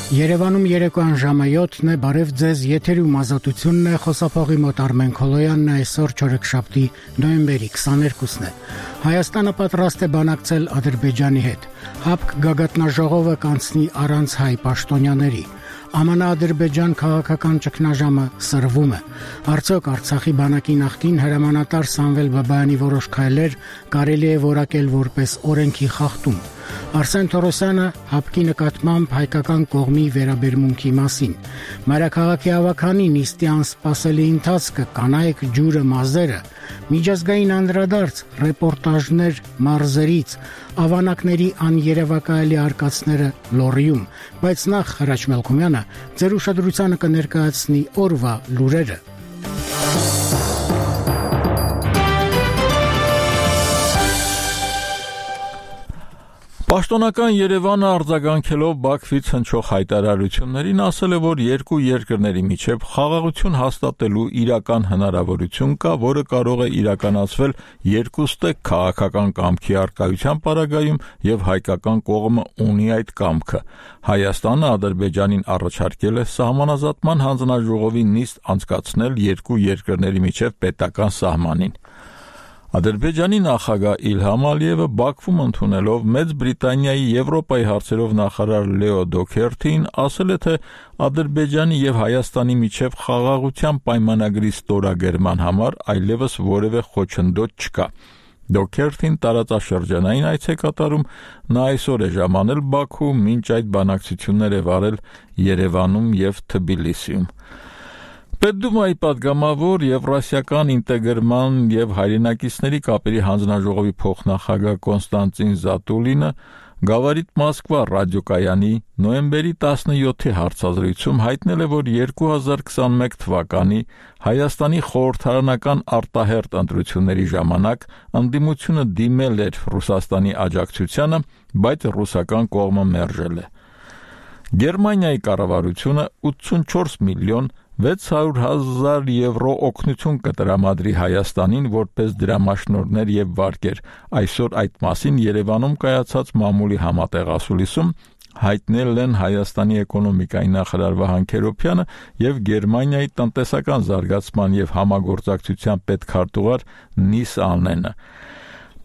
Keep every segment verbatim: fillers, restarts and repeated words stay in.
Երևանում երեկոյան ժամը յոթն է, բարև ձեզ, եթերում ազատությունն է, խոսափողի մոտ Արմեն Քոլոյանն է, այսօր չորեքշաբթի նոյեմբերի քսաներկուսն է։ Հայաստանը պատրաստ է բանակցել Ադրբեջանի հետ։ ՀԱՊԿ գագաթնաժողովը կանցնի առանց հայ պաշտոնյաների։ Ամանա-Ադրբեջան քաղաքական ճգնաժամը սրվում է։ Արդյոք Արցախի բանակի նախկին հրամանատար Սամվել Բաբայանի որոշ քայլեր կարելի է որակել որպես օրենքի խախտում։ Արսեն Թորոսյանը ՀԱՊԿ-ի նկատմամբ հայկական կողմի վերաբերմունքի մասին։ Մայրաքաղաքի ավագանի նիստի անսպասելի ընթացքը, կանայք ջուրը մազերը, միջազգային անդրադարձ, ռեպորտաժներ մարզերից, ավանակների աներևակայելի արկածները Լոռիում, բայց նախ Հրաչ Մելքումյանը ձեր ուշադրությանը կներկայացնի օրվա լուրերը։ Պաշտոնական Երևանը արձագանքելով Բաքվից հնչող հայտարարություններին ասել է, որ երկու երկրների միջև խաղաղություն հաստատելու իրական հնարավորություն կա, որը կարող է իրականացվել երկուստեք քաղաքական կամքի առկայության պարագայում եւ հայկական կողմը ունի այդ կամքը։ Հայաստանը Ադրբեջանին առաջարկել է սահմանազատման հանձնաժողովի նիստ անցկացնել երկու երկրների միջև պետական սահմանին։ Ադրբեջանի նախագահ Իլհամ Ալիևը Բաքվում ընդունելով Մեծ Բրիտանիայի Եվրոպայի հարցերով նախարար Լեո Դոքերթին ասել է, թե Ադրբեջանի եւ Հայաստանի միջև խաղաղության պայմանագրի ստորագրման համար այլևս որևէ խոչընդոտ չկա։ Դոքերթին տարածաշրջանային այց է կատարում, նա այսօր է ժամանել Բաքու, մինչ այդ բանակցություններ է վարել Երևանում եւ Թբիլիսիում։ Պետդումայի պատգամավոր Եվրասիական ինտեգրման եւ հայրենակիցների կապերի հանձնաժողովի փոխնախագահ Կոնստանտին Զատուլինը Գավառիտ Մոսկվա ռադիոկայանի նոյեմբերի տասնյոթի հարցազրույցում հայտնել է, որ երկու հազար քսաներկու թվականի Հայաստանի խորհրդարանական արտահերթ ընտրությունների ժամանակ ընդդիմությունը դիմել էր Ռուսաստանի աջակցությանը, բայց ռուսական կողմը մերժել է։ Գերմանիայի կառավարությունը ութսունչորս միլիոն վեց հարյուր հազար եվրո օգնություն կտրամադրի Հայաստանին որպես դրամաշնորհներ եւ վարկեր։ Այսօր այդ մասին Երևանում կայացած մամուլի համատեղասուլիսում հայտնել են Հայաստանի էկոնոմիկայի նախարար Վահան Քերոբյանը եւ Գերմանիայի տնտեսական զարգացման եւ համագործակցության պետքարտուղար Նիս Ալնենը։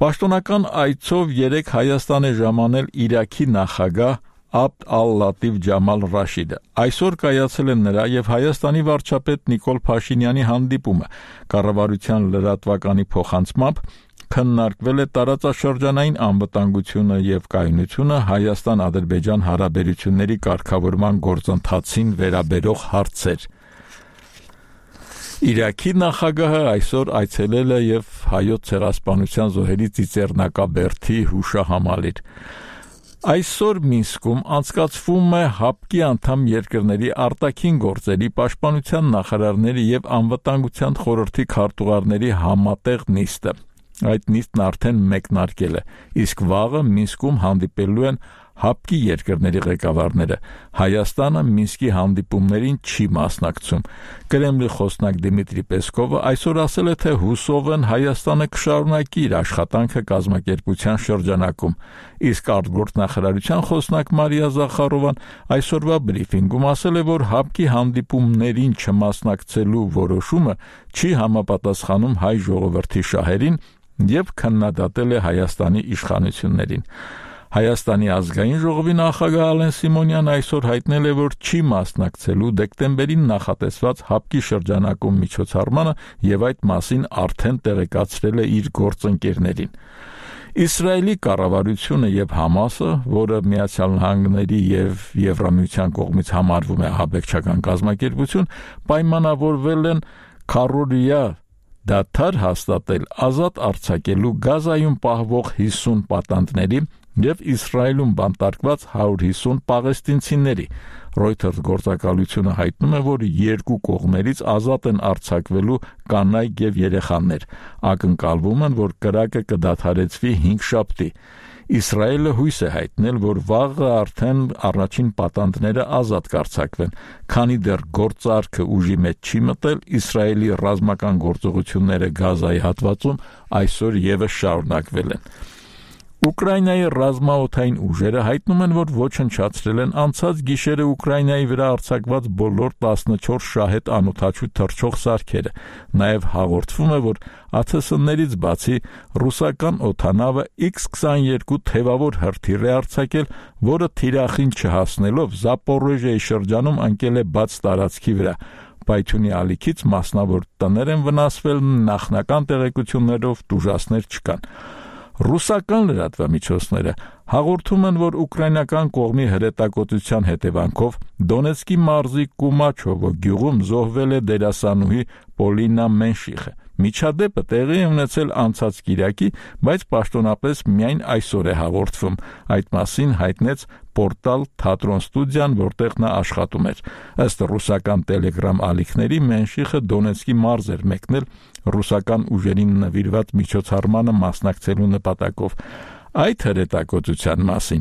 Պաշտոնական այցով երեք Հայաստան է ժամանել Իրաքի նախագահ Աբդ ալ-Լատիֆ Ջամալ Ռաշիդը։ Այսօր կայացել է նրա եւ Հայաստանի վարչապետ Նիկոլ Փաշինյանի հանդիպումը։ Կառավարության լրատվականի փոխանցմամբ քննարկվել է տարածաշրջանային անվտանգությունը եւ կայունությունը Հայաստան-Ադրբեջան հարաբերությունների կարգավորման գործընթացին վերաբերող հարցեր։ Իրաքի նախագահը այսօր այցելել է եւ հայոց ցեղասպանության զոհերի ծիծեռնակաբերդի հուշահամալիր։ Այսօր Մինսկում անցկացվում է ՀԱՊԿ-ի անդամ երկրների արտաքին գործերի պաշտպանության նախարարների եւ անվտանգության խորհրդի քարտուղարների համատեղ նիստը։ Այդ նիստն արդեն մեկնարկել է, իսկ վաղը Մինսկում հանդիպելու են ՀԱՊԿ-ի երկրների ղեկավարները։ Հայաստանը Մինսկի հանդիպումներին չի մասնակցում։ Կրեմլի խոսնակ Դիմիտրի Պեսկովը այսօր ասել է, թե հուսով են Հայաստանը կշարունակի իր աշխատանքը կազմակերպության շրջանակում, իսկ արտգործնախարարության խոսնակ Մարիա Զախարովան այսօրվա բրիֆինգում ասել է, որ ՀԱՊԿ-ի հանդիպումներին չմասնակցելու որոշումը չի համապատասխանում հայ ժողովրդի շահերին եւ քննադատել է Հայաստանի իշխանություններին։ Հայաստանի ազգային ժողովի նախագահ Ալեն Սիմոնյանն այսօր հայտնել է, որ չի մասնակցելու դեկտեմբերին նախատեսված ՀԱՊԿ-ի շրջանակում միջոցառմանը եւ այդ մասին արդեն տեղեկացրել է իր գործընկերներին։ Իսրայելի կառավարությունը եւ Համասը, որը Միացյալ Նահանգների եւ Եվրամիության կողմից համարվում է ահաբեկչական կազմակերպություն, պայմանավորվել են քառօրյա դադար հաստատել ազատ արձակելու Գազայում պահվող հիսուն պատանդների եւ Իսրայելում բանտարկված հարյուր հիսուն պաղեստինցիների։ Reuters գործակալությունը հայտնում է, որ երկու կողմերից ազատ են արձակվելու կանայք եւ երեխաներ։ Ակնկալվում են, որ կրակը կդադարեցվի հինգ շաբթի։ Իսրայելը հույս է հայտնել, որ վաղը արդեն առաջին պատանդները ազատ կարձակվեն, քանի դեռ գործարքը ուժի մեջ չի մտել, Իսրայելի ռազմական գործողությունները Գազայի հատվածում այսօր եւս շարունակվել են։ Ուկրաինայի ռազմաօդային ուժերը հայտնում են, որ ոչնչացրել են անցած գիշերը Ուկրաինայի վրա արձակված բոլոր տասնչորս շահեդ անօդաչու թռչող սարքերը։ Նաև հաղորդվում է, որ ԱԹՍ-ներից բացի ռուսական օդանավը Իքս քսանուերկու թևավոր հրթիռ է արձակել, որը թիրախին չհասնելով Զապորոժիայի շրջանում ընկել է բաց տարածքի վրա։ Պայթյունի ալիքից մասնավոր տներ են վնասվել, նախնական տեղեկություններով տուժածներ չկան։ Ռուսական լրատվամիջոցները հաղորդում են, որ ուկրաինական կողմի հրետակոծության հետևանքով Դոնեցկի մարզի Կումաչովո գյուղում զոհվել է դերասանուհի Պոլինա Մենշիխը։ Միջադեպը տեղի է ունեցել անցած կիրակի, բայց պաշտոնապես միայն այսօր է հաղորդվում։ Այդ մասին հայտնեց Պորտալ Թատրոն ստուդիան, որտեղ նա աշխատում էր։ Ըստ ռուսական Telegram ալիքների Մենշիխը Դոնեցկի մարզ էր մեկնել ռուսական ուժերին նվիրված միջոցառմանը մասնակցելու նպատակով։ Այդ հրետակոծության մասին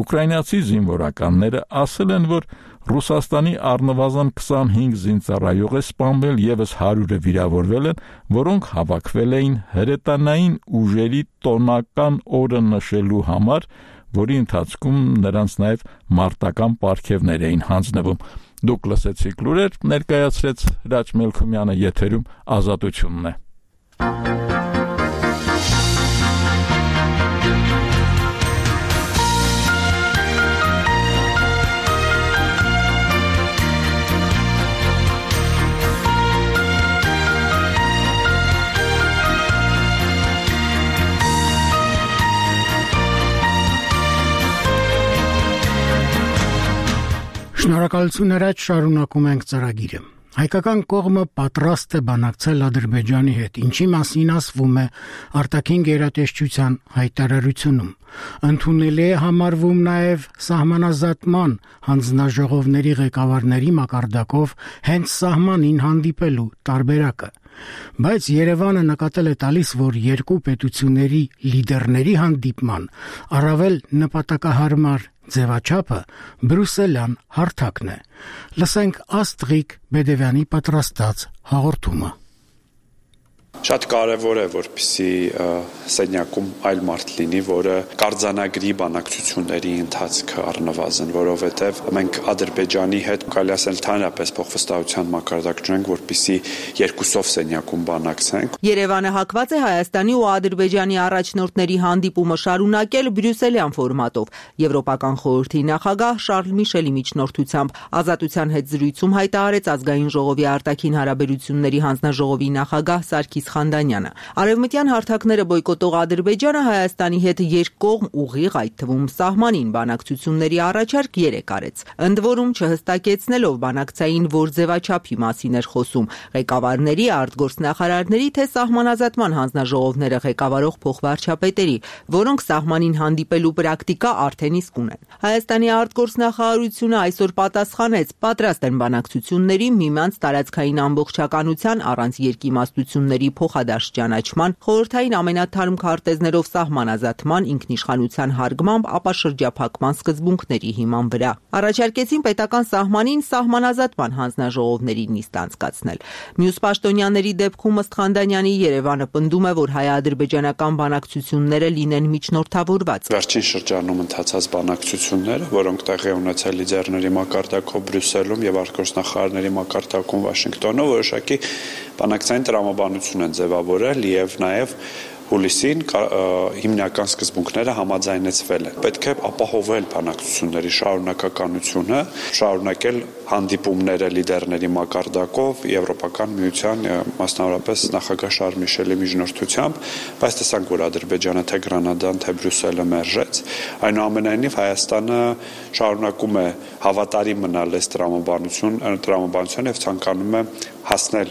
ուկրաինացի զինվորականները ասել են, որ Ռուսաստանի առնվազն քսանհինգ զինծառայող է սպանվել, ևս հարյուրը վիրավորվել են, որոնք հավաքվել էին հրետանային ուժերի տոնական օրը նշելու համար, որի ընթացքում նրանց նաև մարտական պարգևներ էին հանձնվում։ Դուք լսեցիք լուրեր, ներկայացրեց Հրաչ Մելքումյանը, եթերում Ազատությունն է։ Շնորհակալություն Հրաչ, շարունակում ենք ծրագիրը։ Հայկական կողմը պատրաստ է բանակցել Ադրբեջանի հետ, ինչի մասին ասվում է արտաքին գերատեսչության հայտարարությունում։ Ընդունելի է համարվում նաև սահմանազատման հանձնաժողովների ղեկավարների մակարդակով հենց սահմանին հանդիպելու տարբերակը։ Բայց Երևանը նկատել է տալիս, որ երկու պետությունների լիդերների հանդիպման առավել նպատակահարմար ձևաչափը բրուսելյան հարթակն է։ Լսենք Աստղիկ Բեդևյանի պատրաստած հաղորդումը։ Շատ կարևոր է, որպեսզի սենյակում այլ մարդ լինի, որը կարձանագրի բանակցությունների ընթացքը առնվազն, որովհետև մենք Ադրբեջանի հետ կարելի ասել ընդհանրապես փոխվստահության մակարդակ ունենք, որպեսզի երկուսով սենյակում բանակցենք։ Երևանը հակված է Հայաստանի ու Ադրբեջանի առաջնորդների հանդիպումը շարունակել բրյուսելյան ֆորմատով։ Եվրոպական խորհրդի նախագահ Շարլ Միշելի միջնորդությամբ Ազատության հետ զրույցում հայտարարեց Ազգային ժողովի արտաքին հարաբերությունների հանձնաժողովի նախագահ Սարգիս Խանդանյանը։ Արևմտյան հարթակները բոյկոտող Ադրբեջանը Հայաստանի հետ երկկողմ ուղիղ, այդ թվում սահմանին բանակցությունների առաջարկ երեք արեց։ Ընդ որում չհստակեցնելով բանակցային որ ձևաչափի մասին էր խոսում ղեկավարների, արտգործնախարարների թե սահմանազատման հանձնաժողովները ղեկավարող փոխվարչապետերի, որոնք սահմանին հանդիպելու պրակտիկա արդեն իսկ ունեն։ Հայաստանի արտգործնախարարությունը այսօր պատասխանեց, պատրաստ են բանակցությունների միմյանց տարածքային ամբողջականության առանց երկիմաստությունների փոխադարձ ճանաչման, խորհրդային ամենաթարմ քարտեզներով սահմանազատման, ինքնիշխանության հարգմամբ, ապա շրջափակման սկզբունքների հիման վրա։ Առաջարկեցին պետական սահմանին սահմանազատման հանձնաժողովների նիստ անցկացնել։ Մյուս պաշտոնյաների դեպքում ըստ Խանդանյանի Երևանը պնդում է, որ հայ-ադրբեջանական բանակցությունները լինեն միջնորդավորված։ Վերջին շրջանում ընթացած բանակցությունները, որոնք տեղի ունեցել լիդերների մակարդակով Բրյուսելում եւ արտգործնախարարների մակարդակում Վաշինգտոնում, որոշակի բանակցային տրամաբանություն են ձևավորել եւ նաեւ հուլիսին հիմնական սկզբունքները համաձայնեցվել են։ Պետք է ապահովել բանակցությունների շարունակականությունը, շարունակել հանդիպումները լիդերների մակարդակով Եվրոպական միության, մասնավորապես նախագահ Շարլ Միշելի միջնորդությամբ, բայց տեսանք, որ Ադրբեջանը թե Գրանադան, թե Բրյուսելը մերժեց։ Այնուամենայնիվ Հայաստանը շարունակում է հավատարիմ մնալ այս տրամաբանություն, տրամաբանության եւ ցանկանում է հասնել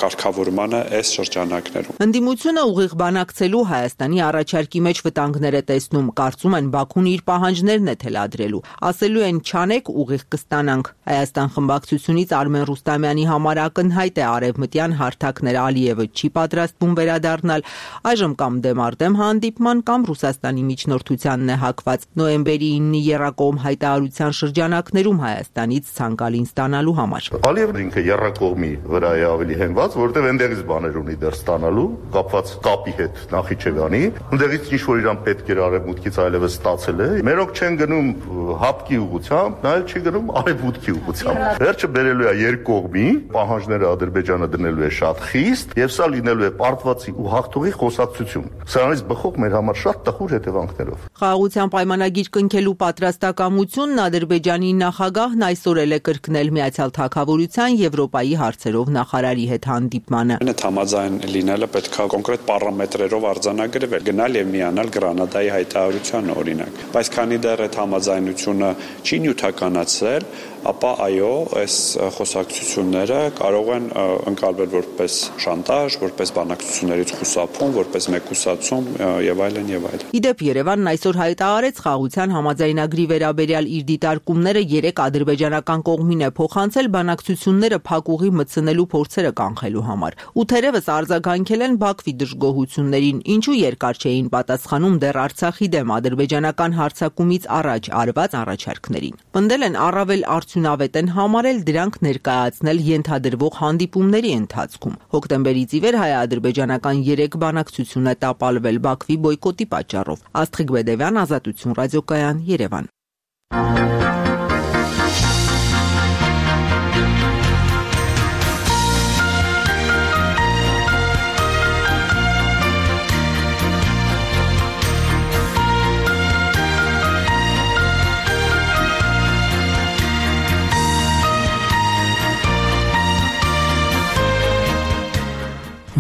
կարգավորմանը այս շրջանակներում։ Ընդդիմությունը ուղիղ բանակցելու Հայաստանի առաջարկի մեջ վտանգներ է տեսնում, կարծում են Բաքուն իր պահանջներն է թելադրելու։ Ասելու են չանեք, ուղիղ կստանանք։ Հայաստան խմբակցությունից Արմեն Ռուստամյանի համար ակնհայտ է արևմտյան հարթակներ Ալիևը չի պատրաստվում վերադառնալ, այժմ կամ դեմարտեմ հանդիպման կամ Ռուսաստանի միջնորդությանն է հակված նոյեմբերի ինը եռակողմ հայտարարության շրջանակներում Հայաստանից ցանկալին ստանալու համար։ Ալիևն ինքը եռակողմ կողմի վրա է ավելի հենված, որովհետև այնտեղից բաներ ունի դեռ ստանալու, կապված կապի հետ Նախիջևանի, այնտեղից ինչ որ իրան պետք էր արևմուտքից այլևս ստացել է։ Մերոնք չեն գնում հապկի ուղղությամբ, նայել չի գնում արևմուտքի ուղղությամբ։ Վերջը բերելու է երկու կողմի, պահանջները Ադրբեջանը դնելու է շատ խիստ, եւ սա լինելու է պարտվածի ու հաղթողի խոսակցություն։ Սրանից բխող մեր համար շատ տխուր հետևանքներով։ Խաղաղության պայմանագիր կնքելու պատրաստակամությունն Ադրբեջանի նախագահն այսօր էլ է կրկնել Միացյալ Թագավորության Եվրոպայի հարցերով նախարարի հետ հանդիպմանը։ Այդ համաձայն լինելը պետք է կոնկրետ պարամետրերով արձանագրվել, գնալ եւ միանալ Գրանադայի հայտարարությանը օրինակ։ Բայց քանի դեռ այդ համաձայնությունը չի նյութականացել, ապա այո, այս խոսակցությունները կարող են ընկալվել որպես շանտաժ, որպես բանակցություններից խուսափում, որպես մեկուսացում եւ այլն եւ այլն։ Իդեպ Երևանն այսօր հայտարարեց խաղաղության համաձայնագրի վերաբերյալ իր դիտարկումները երեք ադրբեջանական կողմին է փոխանցել բանակցությունները փակուղի մտցնելու փորձերը կանխելու համար։ Ու թերևս արձագանքել են Բաքվի դժգոհություններին, ինչու երկար չէին պատասխանում դեռ Արցախի դեմ ադրբեջանական հարձակումից առաջ արված առաջարկներին։ Պնդել են առավել արդյունավետ են համարել դրանք ներկայացնել ենթադրվող հանդիպումների ընթացքում։ Հոկտեմբերից ի վեր հայ-ադրբեջանական երեք բանակցություն է տապալվել Բաքվի բոյկոտի պատճառով։ Աստղիկ Բեդևյան, Ազատություն ռադիոկայան, Երևան։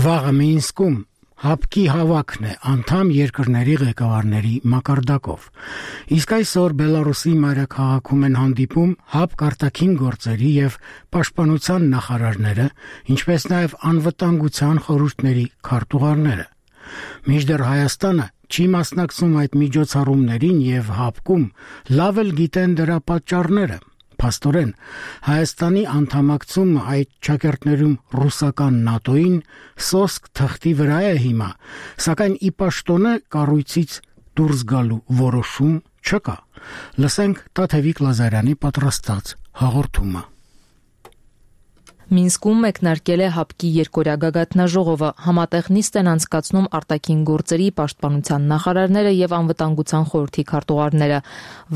Վաղը Մինսկում հապկի հավաքն է անդամ երկրների ղեկավարների մակարդակով։ Իսկ այսօր Բելարուսի մայրաքաղաքում են հանդիպում հապկ արտաքին գործերի եւ պաշտպանության նախարարները, ինչպես նաեւ անվտանգության խորհուրդների քարտուղարները։ Մինչդեռ Հայաստանը չի մասնակցում այդ միջոցառումներին եւ հապկում լավ էլ գիտեն դրա պատճառները։ Փաստորեն, Հայաստանի անդամակցումը այդ ճակերտներում ռուսական նատոյին սոսկ թղթի վրա է հիմա, սակայն ի պաշտոնե կառույցից դուրս գալու որոշում չկա։ Լսենք Տաթևիկ Լազարյանի պատրաստած հաղորդումը։ Մինսկում մեկնարկել է հապկի երկօրյա գագաթնաժողովը, համատեղ նիստ են անցկացնում արտաքին գործերի պաշտպանության նախարարները եւ անվտանգության խորհրդի քարտուղարները։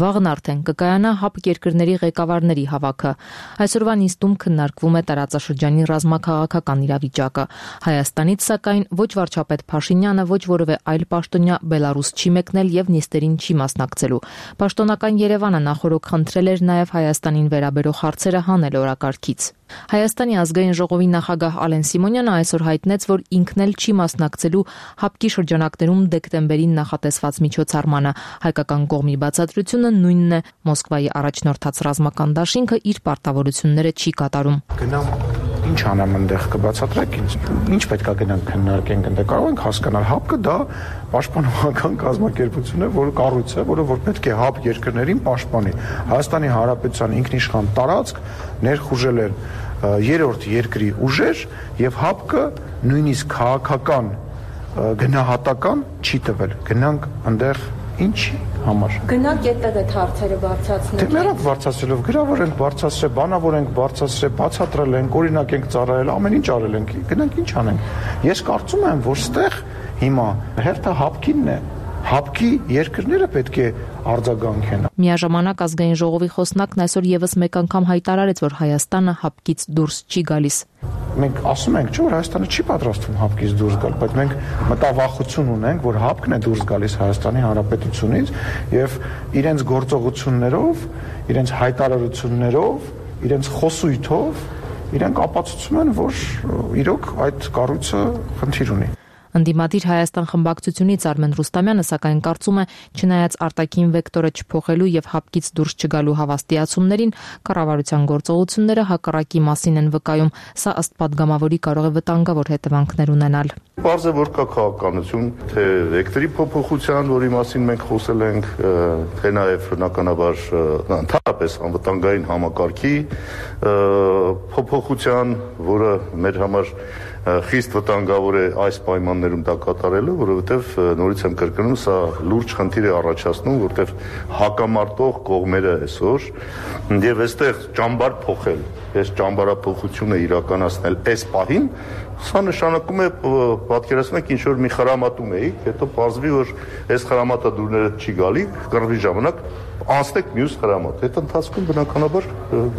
Վաղն արդեն կկայանա հապկ երկրների ղեկավարների հավաքը։ Այսօրվա նիստում քննարկվում է տարածաշրջանի ռազմաքաղաքական իրավիճակը։ Հայաստանից սակայն ոչ վարչապետ Փաշինյանը, ոչ որևէ այլ պաշտոնյա Բելարուս չի մեկնել եւ նիստերին չի մասնակցելու։ Պաշտոնական Երևանը նախորդ խնդրել էր նաեւ Հայաստանին վերաբերող հարցերը հանել օրակարգից։ Հայաստանի ազգային ժողովի նախագահ Ալեն Սիմոնյանը այսօր հայտնեց, որ ինքն էլ չի մասնակցելու հապկի շրջանակներում դեկտեմբերին նախատեսված միջոցառմանը։ Հայկական կողմի բացատրությունը նույնն է. Մոսկվայի առաջնորդած ռազմական դաշինքը իր պարտավորությունները չի կատարում։ Գնամ ինչ անեմ այնտեղ կբացատրեք ինձ։ Ինչ պետք է գնանք քննարկենք այնտեղ։ Կարող ենք հասկանալ հապկը դա պաշտպանողական կազմակերպություն է, որը կառույց է, որը որ պետք է հապ երկրներին պաշտպանի։ Հայաստանի Հանրապետության ինքնիշխան տարածք ներխուժել են երրորդ երկրի ուժեր եւ հապկը նույնիսկ քաղաքական գնահատական չի տվել։ Գնանք այնտեղ ինչի համար։ Գնանք այդտեղ այդ հարցերը բարձրացնել։ Դե մերոք բարձրացնելով գրավոր ենք բարձրացրել, բանավոր ենք բարձրացրել, բացատրել ենք, օրինակ ենք ծառայել, ամեն ինչ արել ենք։ Գնանք ինչ անենք։ Ես կարծում եմ, որ ստեղ հիմա հերթը հապկինն է։ Հապկի երկրները պետք է արձագանքեն։ Միաժամանակ ազգային ժողովի խոսնակն այսօր եւս մեկ անգամ հայտարարեց, որ Հայաստանը հապկից դուրս չի գալիս։ Մենք ասում ենք, չէ՞ որ Հայաստանը չի պատրաստվում հապկից դուրս գալ, բայց մենք մտավախություն ունենք, որ հապկն է դուրս գալիս Հայաստանի Հանրապետությունից եւ իրենց գործողություններով, իրենց հայտարարություններով, իրենց խոսույթով իրենք ապացուցում են, որ իրոք այդ կառույցը խնդիր ունի։ Ընդդիմադիր Հայաստան խմբակցությունից Արմեն Ռուստամյանը սակայն կարծում է, չնայած արտաքին վեկտորը չփոխելու եւ հապկից դուրս չգալու հավաստիացումներին, կառավարության գործողությունները հակառակի մասին են վկայում։ Սա ըստ падգամավորի կարող է վտանգավոր հետևանքներ ունենալ։ Պարզ է, որ կա քաղաքականություն, թե վեկտորի փոփոխության, որի մասին մենք խոսել ենք, թե նաեւ բնականաբար ընդհանրապես անվտանգային համակարգի փոփոխության, որը մեր համար խիստ վտանգավոր է այս պայմաններում դա կատարելը, որովհետև նորից եմ կրկնում, սա լուրջ խնդիր է առաջացնում, որովհետև հակամարտող կողմերը այսօր եւ այստեղ ճամբար փոխել, այս ճամբարափոխությունը իրականացնել այս պահին, սա նշանակում է պատկերացնեք ինչ որ մի խրամատում էիք, հետո պարզվի, որ այս խրամատադուրները չի գալի, կռվի ժամանակ անցնեք մյուս խրամատ, այդ ընթացքում բնականաբար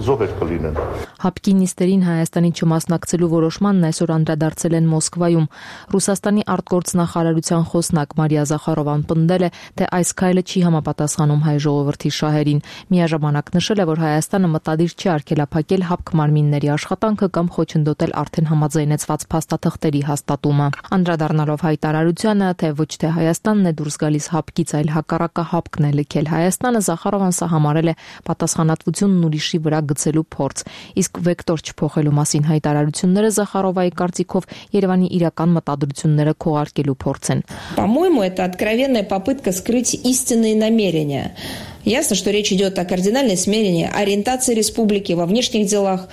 զոհեր կլինեն։ Հապկի նիստերին Հայաստանի չմասնակցելու որոշմանն այսօր անդրադարձել են Մոսկվայում։ Ռուսաստանի արտգործնախարարության խոսնակ Մարիա Զախարովան պնդել է, թե այս քայլը չի համապատասխանում հայ ժողովրդի շահերին։ Միաժամանակ նշել է, որ Հայաստանը մտադիր չի արգելափակել հապկ մարմինների աշխատանքը կամ խոչընդոտել արդեն համաձայնեցված փաստաթղթերի հաստատումը։ Անդրադառնալով հայտարարությանը, թե ոչ թե Հայաստանն է դուրս գալիս հապկից, այլ հակառակը հապկն է լքել Հայաստանը, Զախարովան սա համարել է պատասխանատվությունն ուրիշի վրա գցելու փորձ։ Իսկ վեկտոր չփոխելու մասին հայտարարությունները Զախարովայի կարծիքով Երևանի իրական մտադրությունները քողարկելու փորձ են։ По-моему, это откровенная попытка скрыть истинные намерения. Ясно, что речь идет о кардинальной смене ориентации республики во внешних делах.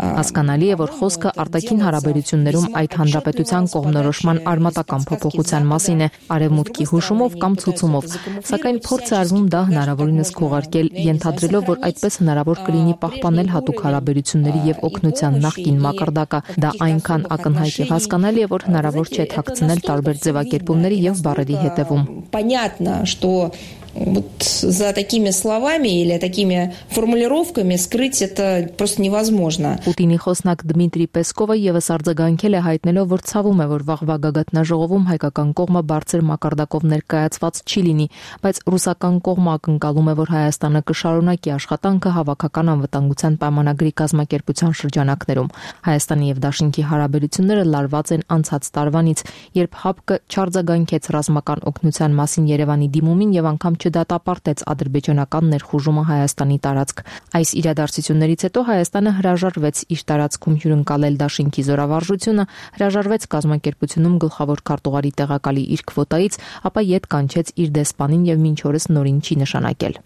Հասկանալի է, որ խոսքը արտաքին հարաբերություններում այդ հանրապետության կողմնորոշման արմատական փոփոխության մասին է, արևմուտքի հուշումով կամ ցուցումով, սակայն փորձ է արվում դա հնարավորինս քողարկել, ենթադրելով, որ այդպես հնարավոր կլինի պահպանել հատուկ հարաբերությունների եւ օգնության նախկին մակարդակը։ Դա այնքան ակնհայտ է, հասկանալի է, որ հնարավոր չէ թաքցնել տարբեր ձևակերպումների եւ բառերի հետևում։ Понятно, что вот за такими словами или такими формулировками скрыть это просто невозможно. Պուտինի խոսնակ Դմիտրի Պեսկովը եւս արձագանքել է հայտնելով, որ ցավում է, որ վաղվա գագաթնաժողովում հայկական կողմը բարձր մակարդակով ներկայացված չի լինի, բայց ռուսական կողմը ակնկալում է, որ Հայաստանը կշարունակի աշխատանքը հավաքական անվտանգության պայմանագրի կազմակերպության շրջանակներում։ Հայաստանի եւ Դաշինքի հարաբերությունները լարված են անցած տարվանից, երբ ՀԱՊԿ չարձագանքեց ռազմական օգնության մասին Երևանի դիմումին եւ անգամ չդատապարտեց ադրբեջանական ներխուժումը Հայաստանի տարածք։ Այս իրադարձություններից հետո Հայաստանը հրաժարվեց իր տարածքում հյուրընկալել Դաշինքի զորավարժությունը, հրաժարվեց կազմակերպությունում գլխավոր քարտուղարի տեղակալի իր քվոտայից, ապա ետ կանչեց իր դեսպանին եւ մինչ օրս նորին չի նշանակել։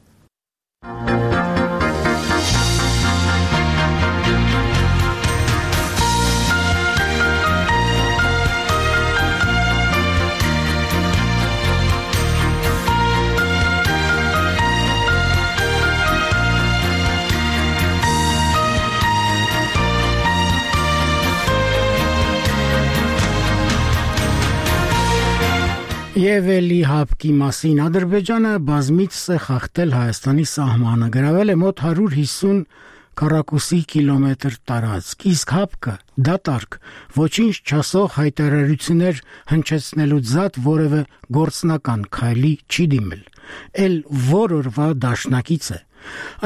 Եվ էլի հապկի մասին Ադրբեջանը բազմից է խախտել Հայաստանի սահմանը, գրավել է մոտ հարյուր հիսուն քառակուսի կիլոմետր տարածք, իսկ ՀԱՊԿ դատարկ ոչինչ չասող հայտարարություններ հնչեցնելու զատ որևէ գործնական քայլի չի դիմել, էլ որ օրվա դաշնակից է։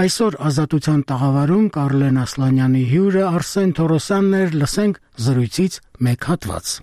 Այսօր Ազատության տաղավարում Կարլեն Ասլանյանի հյուրը Արսեն Թորոսյանն էր, լսենք զրույցից մեկ հատված։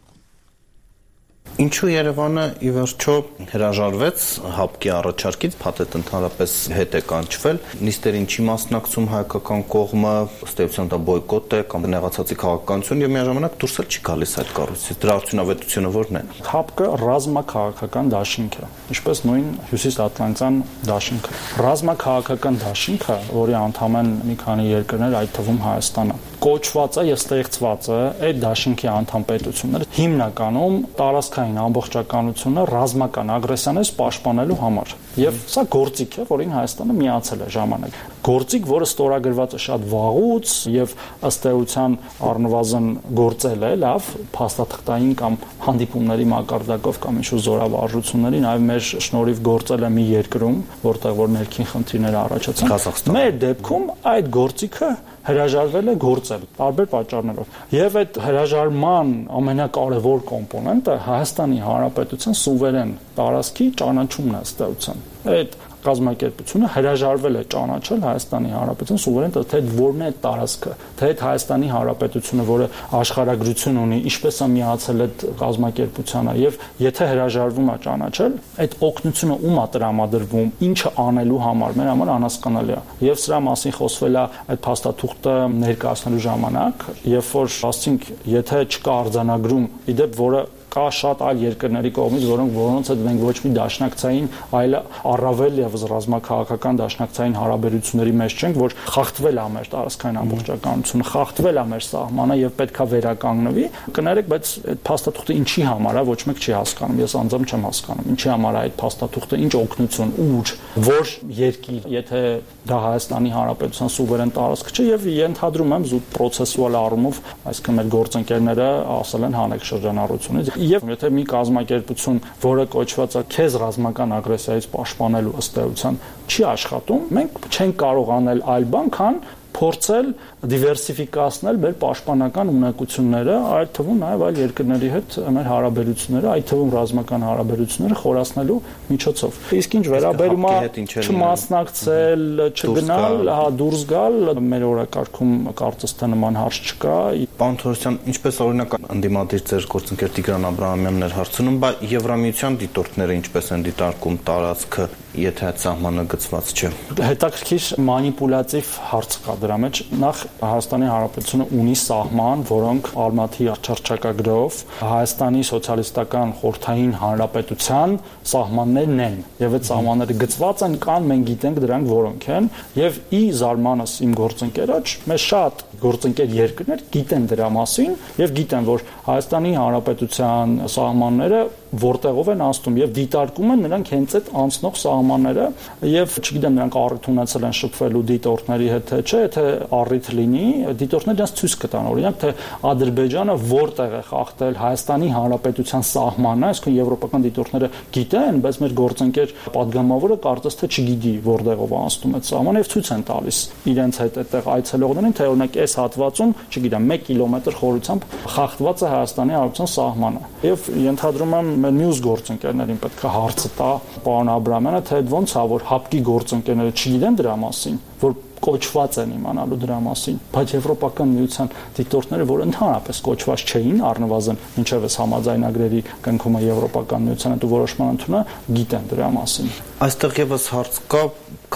Ինչու Երևանը ի վերջո հրաժարվեց ՀԱՊԿ-ի առաջարկից, փաթեթ ընդհանրապես հետ է կանչվել, նիստերին չի մասնակցում հայկական կողմը, ըստ էության դա բոյկոտ է կամ նեղացածի քաղաքականություն եւ միաժամանակ դուրս էլ չի գալիս այդ կառույցից։ Դրա արդյունավետությունը ո՞րն է։ ՀԱՊԿ-ը ռազմաքաղաքական դաշինք է, ինչպես նույն հյուսիսատլանտյան դաշինքը։ Ռազմաքաղաքական դաշինքը, որի անդամ են մի քանի երկրներ, այդ թվում Հայաստանը, կոչված է եւ ստեղծված է այդ դաշինքի անդամ պետությունները հիմնականում տարածքային ամբողջականությունը ռազմական ագրեսիաներից պաշտպանելու համար։ Եվ սա գործիք է, որին Հայաստանը միացել է ժամանակ։ Գործիք, որը ստորագրված է շատ վաղուց եւ ըստ էության առնվազն գործել է լավ փաստաթղթային կամ հանդիպումների մակարդակով կամ ինչ-որ զորավարժությունների, նաեւ մեր շնորհիվ գործել է մի երկրում, որտեղ որ ներքին խնդիրներ առաջացան։ Մեր դեպքում այդ գործիքը հրաժարվել է գործել տարբեր պատճառներով։ Եվ այդ հրաժարման ամենակարևոր կոմպոնենտը Հայաստանի Հանրապետության սուվերեն տարածքի ճանաչումն է ըստ էության։ Այդ կազմակերպությունը հրաժարվել է ճանաչել Հայաստանի Հանրապետության սուվերեն, թե որն է տարածքը, թե այդ Հայաստանի Հանրապետությունը, որը աշխարհագրություն ունի, ինչպես է միացել այդ կազմակերպությանը, եւ եթե հրաժարվում է ճանաչել, այդ օգնությունը ում է տրամադրվում, ինչը անելու համար, մեր համար անհասկանալի է։ Եվ սրա մասին խոսվել է այդ փաստաթուղթը ներկայացնելու ժամանակ, երբ որ ասենք, եթե չկա արձանագրում, իդեպ որը կա շատ այլ երկրների կողմից, որոնք որոնց հետ մենք ոչ մի դաշնակցային, այլ առավել եւս ռազմաքաղաքական դաշնակցային հարաբերությունների մեջ չենք, որ խախտվել է մեր տարածքային ամբողջականությունը, խախտվել է մեր սահմանը եւ պետքա վերականգնվի։ Կներեք, բայց այդ փաստաթուղթը ինչի համար է, ոչ մեկ չի հասկանում, ես անձամբ չեմ հասկանում, ինչի համար է այդ փաստաթուղթը, ինչ օգնություն, ուր, որ երկիր, եթե դա Հայաստանի Հանրապետության սուվերեն տարածք չէ եւ ենթադրում եմ զուտ պրոցեսուալ առումով, այսինքն մեր գործընկերները ասել են հանեք շրջանառությունից եւ եթե մի կազմակերպություն, որը կոչված է քեզ ռազմական ագրեսիայից պաշտպանելու ըստ էության, չի աշխատում, մենք չենք կարող անել այլ բան, քան փորձել դիվերսիֆիկացնել մեր պաշտպանական ունակությունները, այդ թվում նաև այլ երկրների հետ մեր հարաբերությունները, այդ թվում ռազմական հարաբերությունները խորացնելու միջոցով։ Իսկ ինչ վերաբերում է չմասնակցել, չգնալ, հա դուրս գալ, մեր օրակարգում կարծես թե նման հարց չկա։ Պարոն Թորոսյան, ինչպես օրինակ ընդդիմադիր ձեր գործընկեր Տիգրան Աբրահամյանն էր հարցնում, բայց Եվրամիության դիտորդները ինչպես են դիտարկում տարածքը, եթե այդ սահմանը գծված չէ։ Հետաքրքիր մանիպուլատիվ հարց կա դրա մեջ։ Նախ Հայաստանի Հանրապետությունը ունի սահման, որոնք Ալմատի չարչակագրով Հայաստանի սոցիալիստական խորհրդային հանրապետության սահմաններն են, եւ այդ սահմանները գծված են կան, մենք գիտենք դրանք որոնք են, եւ ի զարմանս իմ գործընկերոջ, մեզ շատ գործընկեր երկրներ գիտեն դրա մասին եւ գիտեն, որ Հայաստանի Հանրապետության սահմանները որտեղով են անցնում եւ դիտարկում են նրանք հենց այդ անցնող սահմանները եւ չգիտեմ նրանք առիթ ունեցել են շփվելու դիտորդների հետ թե չէ, եթե առիթ լինի, դիտորդները դրանց ցույց կտան, օրինակ թե Ադրբեջանը որտեղ է խախտել Հայաստանի Հանրապետության սահմանը, այսինքն եվրոպական դիտորդները գիտեն, բայց մեր գործընկեր падգամավորը կարծես թե չգիտի որտեղով անցնում այդ սահմանը եւ ցույց են տալիս իրենց հետ այդտեղ այցելողներին, թե օրինակ այս հատվածում, չգիտեմ, մեկ կիլոմետր խորությամբ խախտված է Հայաստանի Հանրապետության սահմանը եւ ենթադրում եմ մեր մյուս գործընկերներին պետք է հարցը տա պարոն Աբրահամյանը, թե ոնց է որ հապկի գործընկերները չգիտեն դրա մասին, որ կոչված են իմանալու դրա մասին, բայց Եվրոպական միության դիտորդները, որ ընդհանրապես կոչված չէին, առնվազն մինչև այս համաձայնագրերի կնքումը Եվրոպական միության հետ ու որոշման ընդունը, գիտեն դրա մասին։ Այստեղ եւս հարց կա,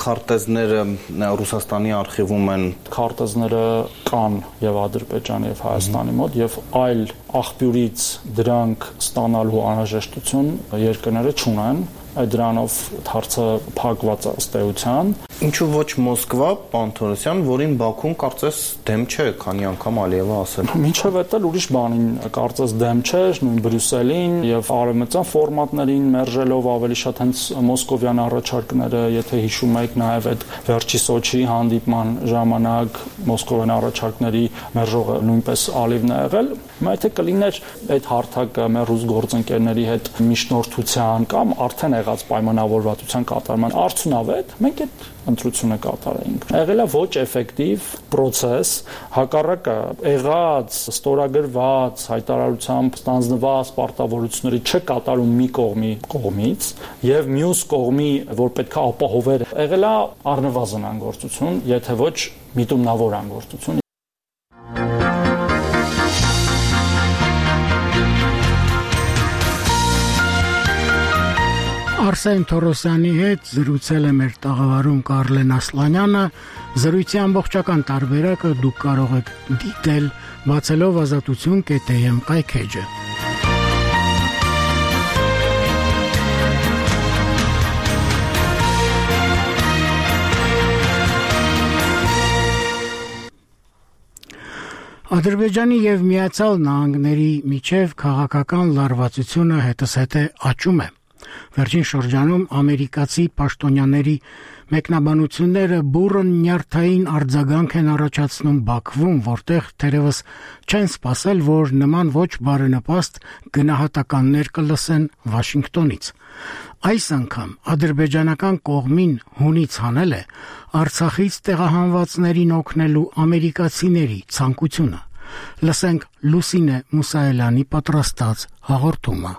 քարտեզները Ռուսաստանի արխիվում են, քարտեզները կան եւ Ադրբեջանի եւ Հայաստանի մոտ եւ այլ աղբյուրից դրանք ստանալու անհրաժեշտություն երկրները չունեն, դրանով հարցը փակված է ըստ էության։ Ինչու ոչ Մոսկվա, պարոն Թորոսյան, որին Բաքուն կարծես դեմ չէ, քանի անգամ Ալիևը ասել։ Մինչև այդ էլ ուրիշ բանին կարծես դեմ չէ, նույն Բրյուսելին եւ արևմտյան ֆորմատներին մերժելով ավելի շատ հենց մոսկովյան առաջարկները, եթե հիշում եք նաեւ այդ վերջի Սոչիի հանդիպման ժամանակ մոսկովյան առաջարկների մերժողը նույնպես Ալիևն է եղել, բայց եթե կլիներ այդ հարթակը մեր ռուս գործընկերների հետ միջնորդության կամ արդեն եղած պայմանավորվածության կատարման արդյունավետ, մենք այդ ընտրությունը կատարեինք։ Եղել է ոչ էֆեկտիվ process, հակառակը եղած ստորագրված հայտարարությամբ ստանձնված պարտավորությունների չկատարում մի կողմի կողմից եւ մյուս կողմի, որ պետք է ապահովեր, եղել է առնվազն անգործություն, եթե ոչ միտումնավոր անգործություն։ Արսեն Թորոսյանի հետ զրուցել է մեր տաղավարում Կարլեն Ասլանյանը, զրույցի ամբողջական տարբերակը դուք կարող եք դիտել բացելով ազատություն կետ է եմ կայքեջը։ Ադրբեջանի եւ Միացյալ Նահանգների միջև քաղաքական լարվածությունը հետզհետե աճում է։ Վերջին շրջանում ամերիկացի պաշտոնյաների մեկնաբանությունները բուրըն նյարդային արձագանք են առաջացնում Բաքվում, որտեղ թերևս չեն սպասել, որ նման ոչ բարենպաստ գնահատականներ կլսեն Վաշինգտոնից։ Այս անգամ ադրբեջանական կողմին հունից հանել է Արցախից տեղահանվածներին օգնելու ամերիկացիների ցանկությունը։ Լսենք Լուսինե Մուսայելյանի պատրաստած հաղորդումը։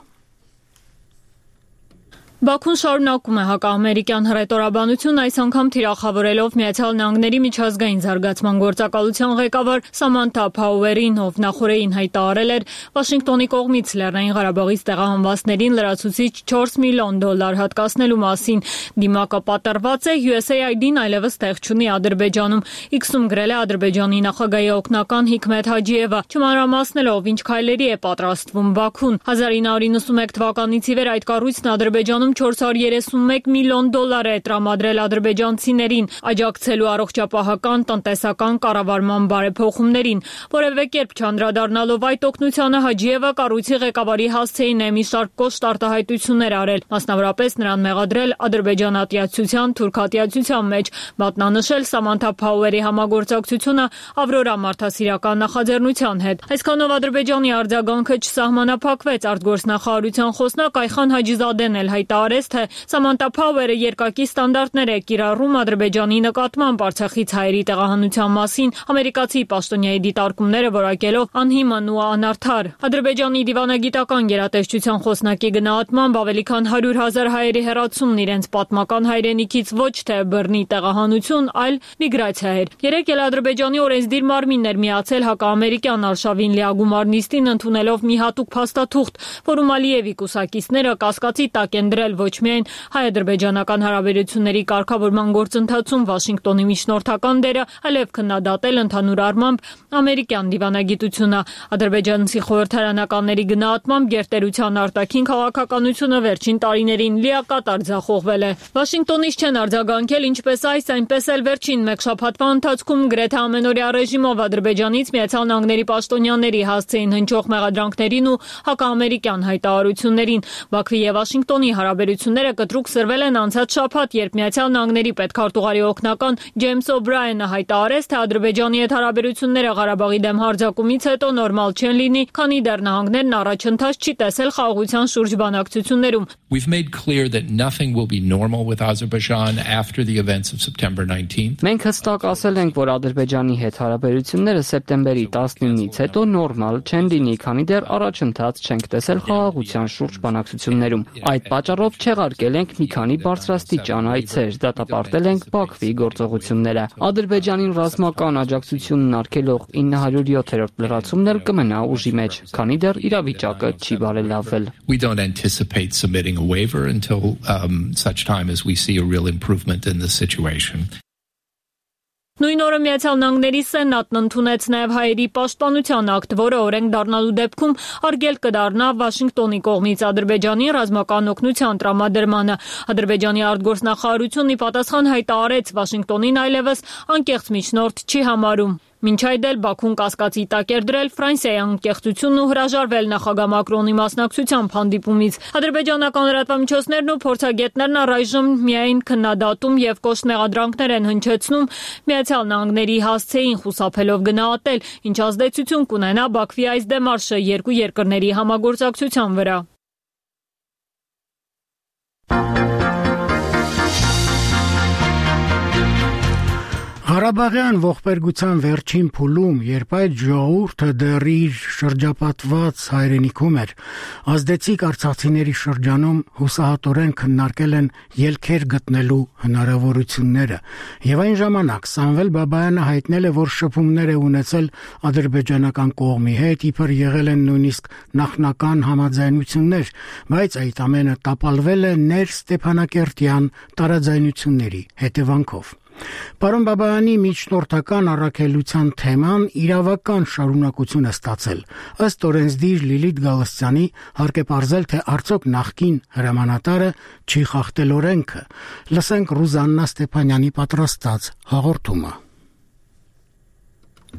Բաքուն շարունակում է հակաամերիկյան հռետորաբանություն, այս անգամ թիրախավորելով Միացյալ Նահանգների միջազգային զարգացման գործակալության ղեկավար Սամանթա Փաուերին, ով նախորդին հայտարարել էր Վաշինգտոնի կողմից Լեռնային Ղարաբաղից տեղահանվածներին լրացուցիչ չորս միլիոն դոլար հատկացնելու մասին։ Դիմակը պատրված է, յու էս էյ այ դին այլևս տեղ չունի Ադրբեջանում։ Իքսում գրել է Ադրբեջանի նախագահի օգնական Հիկմեթ Հաջիևը, չմանրամասնելով ինչ քայլերի է պատրաստվում Բաքուն։ հազար ինը հարյուր նվսանմեկ թվականից ի վեր այդ կառույցն Ադրբեջանում չորս հարյուր երեսունմեկ միլիոն դոլար է տրամադրել ադրբեջանցիներին, աջակցելու առողջապահական, տնտեսական կառավարման բարեփոխումներին։ Որևէ կերպ չանդրադառնալով այդ օգնությանը, Հաջիևը կառույցի ղեկավարի հասցեին է մի շարք կոշտ արտահայտություններ արել, մասնավորապես նրան մեղադրել ադրբեջանատյացության, թուրքատյացության մեջ, մատնանշել Սամանթա Փաուերի համագործակցությունը Ավրորա մարդասիրական նախաձեռնության հետ։ Այսքանով Ադրբեջանի արձագանքը չսահմանափակվեց, արտգործնախարարության խոսնակ Այխան Հաջիզադեն էլ հայտարարեց, թե Սամանթա Փաուերը երկակի ստանդարտներ է կիրառում Ադրբեջանի նկատմամբ Արցախից հայերի տեղահանության մասին, ամերիկացի պաշտոնյայի դիտարկումները որակելով անհիմն ու անարդար։ Ադրբեջանի դիվանագիտական գերատեսչության խոսնակի գնահատմամբ ավելի քան հարյուր հազար հայերի հեռացումն իրենց պատմական հայրենիքից ոչ թե բռնի տեղահանություն, այլ միգրացիա էր։ Երեկ էլ Ադրբեջանի օրենսդիր մարմինն էր միացել հակաամերիկյան արշավին լիագումար նիստին, ընդունելով մի հատուկ փաստաթուղթ, որում Ալիևի կուսակիցները կասկածի տակ են դրել ոչ միայն հայ-ադրբեջանական հարաբերությունների կարգավորման գործընթացում Վաշինգտոնի միջնորդական դերը, այլև քննադատել ընդհանուր առմամբ ամերիկյան դիվանագիտությունը։ Ադրբեջանցի խորհրդարանականների գնահատմամբ գերտերության արտաքին քաղաքականությունը վերջին տարիներին լիակատար ձախողվել է։ Վաշինգտոնից չեն արձագանքել ինչպես այս, այնպես էլ վերջին մեկ շաբաթվա ընթացքում գրեթե ամենօրյա ռեժիմով Ադրբեջանից Միացյալ Նահանգների պաշտոնյաների հասցեին հնչող մեղադրանքներին ու հակաամերիկյան հայտարարություններին։ Բաքվի եւ Վաշինգտոնի հարաբերությունները կտրուկ սրվել են անցած շաբաթ, երբ Միացյալ Նահանգների պետքարտուղարի օգնական Ջեյմս Օբրայենը հայտարարեց, թե Ադրբեջանի հետ հարաբերությունները Ղարաբաղի դեմ հարձակումից հետո նորմալ չեն լինի, քանի դեռ նահանգներն առաջընթաց չի տեսել խաղաղության շուրջ բանակցություններում։ We've made clear that nothing will be normal with Azerbaijan after the events of September nineteenth. Մենք հստակ ասել ենք, որ Ադրբեջանի հետ հարաբերությունները սեպտեմբերի տասնինից հետո նորմալ չեն լինի, քանի դեռ առաջընթաց չենք տեսել խաղաղության շուրջ բանակցություններում։ Այդ պատճառով չեղարկել ենք մի քանի բարձրաստիճան այցեր, դատապարտել ենք Բաքվի գործողությունները։ Ադրբեջանին ռազմական աջակցությունն արգելող ինը հարյուր յոթերորդ լրացումն էլ կմնա ուժի մեջ, քանի դեռ իրավիճակը չի բարելավվել։ We don't anticipate submitting a waiver until um, such time as we see a real improvement in the situation. Նույն օրը Միացյալ Նահանգների Սենատն ընդունեց նաև հայերի պաշտպանության ակտ, որը օրենք դառնալու դեպքում արգելք կդառնա Վաշինգտոնի կողմից Ադրբեջանի ռազմական օգնության տրամադրմանը։ Ադրբեջանի արտգործնախարարությունն ի պատասխան հայտարարեց, Վաշինգտոնին այլևս անկեղծ միջնորդ չի համարում։ Մինչ այդ էլ Բաքուն կասկածի տակ էր դրել Ֆրանսիայի անկեղծությունն ու հրաժարվել նախագահ Մակրոնի մասնակցությամբ հանդիպումից։ Ադրբեջանական լրատվամիջոցներն ու փորձագետներն առայժմ միայն քննադատում եւ կոշտ մեղադրանքներ են հնչեցնում Միացյալ Նահանգների հասցեին խուսափելով գնահատել, ինչ ազդեցություն կունենա Բաքվի այս դեմարշը երկու երկրների համագործակցության վրա։ Ղարաբաղյան ողբերգության վերջին փուլում, երբ այդ ժողովուրդը դեռ իր շրջապատված հայրենիքում էր, ազդեցիկ արցախցիների շրջանում հուսահատորեն քննարկել են ելքեր գտնելու հնարավորությունները, եւ այն ժամանակ Սամվել Բաբայանը հայտնել է, որ շփումներ է ունեցել ադրբեջանական կողմի հետ, իբր եղել են նույնիսկ նախնական համաձայնություններ, բայց այդ ամենը տապալվել է ներ Ստեփանակերտյան տարաձայնությունների հետևանքով։ Պարոն Բաբայանի միջնորդական առաքելության թեման իրավական շարունակություն է ստացել։ Ըստ օրենսդիր Լիլիթ Գալստյանի հարկ է պարզել, թե արդյոք նախկին հրամանատարը չի խախտել օրենքը։ Լսենք Ռուզաննա Ստեփանյանի պատրաստած հաղորդումը։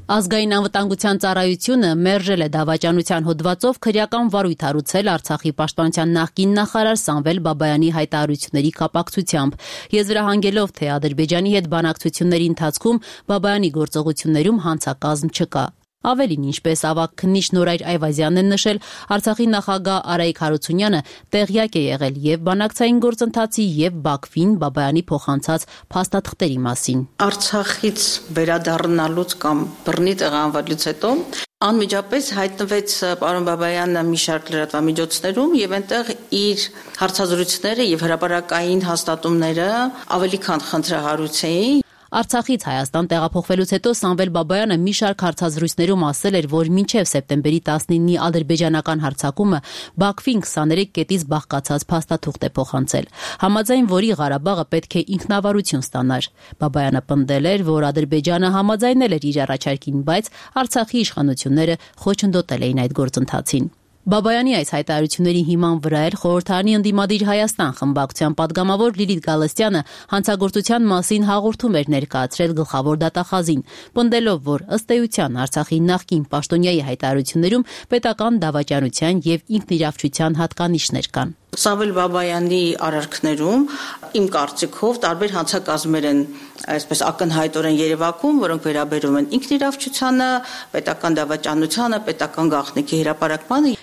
Ազգային անվտանգության ծառայությունը մերժել է դավաճանության հոդվածով քրեական վարույթ հարուցել Արցախի պաշտպանության նախկին նախարար Սամվել Բաբայանի հայտարարությունների կապակցությամբ, եզրահանգելով, թե Ադրբեջանի հետ բանակցությունների ընթացքում Բաբայանի գործողություններում հանցակազմ չկա։ Ավելին, ինչպես ավագ քննիչ Նորայր Այվազյանն է նշել, Արցախի նախագահ Արայիկ Հարությունյանը տեղյակ է եղել եւ բանակցային գործընթացի եւ Բաքվին Բաբայանի փոխանցած փաստաթղթերի մասին։ Արցախից վերադառնալուց կամ բռնի տեղանվելուց հետո Անմիջապես հայտնվեց պարոն Բաբայանը մի շարք լրատվամիջոցներում եւ այնտեղ իր հարցազրույցները եւ հրապարակային հաստատումները ավելի քան խնդրահարույց էին։ Արցախից Հայաստան տեղափոխվելուց հետո Սամվել Բաբայանը մի շարք հարցազրույցներում ասել էր, որ մինչև սեպտեմբերի տասնինի ադրբեջանական հարձակումը Բաքվին քսաներեք կետից բաղկացած փաստաթուղթ է փոխանցել, համաձայն որի Ղարաբաղը պետք է ինքնավարություն ստանար։ Բաբայանը պնդել էր, որ Ադրբեջանը համաձայնել էր իր առաջարկին, բայց Արցախի իշխանությունները խոչընդոտել էին այդ գործընթացին։ Բաբայանի այս հայտարարությունների հիման վրա էր խորհրդարանի ընդդիմադիր Հայաստան խմբակցության падգամավոր Լիլիթ Գալստյանը հանցագործության մասին հաղորդում էր ներկայացրել գլխավոր դատախազին, պնդելով, որ ըստ էության Արցախի նախկին պաշտոնյայի հայտարարություններում պետական դավաճանության եւ ինքնիրավչության հատկանիշներ կան։ Սամվել Բաբայանի արարքներում իմ կարծիքով տարբեր հանցակազմեր են այսպես ակնհայտորեն երևակում, որոնք վերաբերում են ինքնիրավչությանը, պետական դավաճանությանը, պետական գաղտնիքի հրապարակմանը։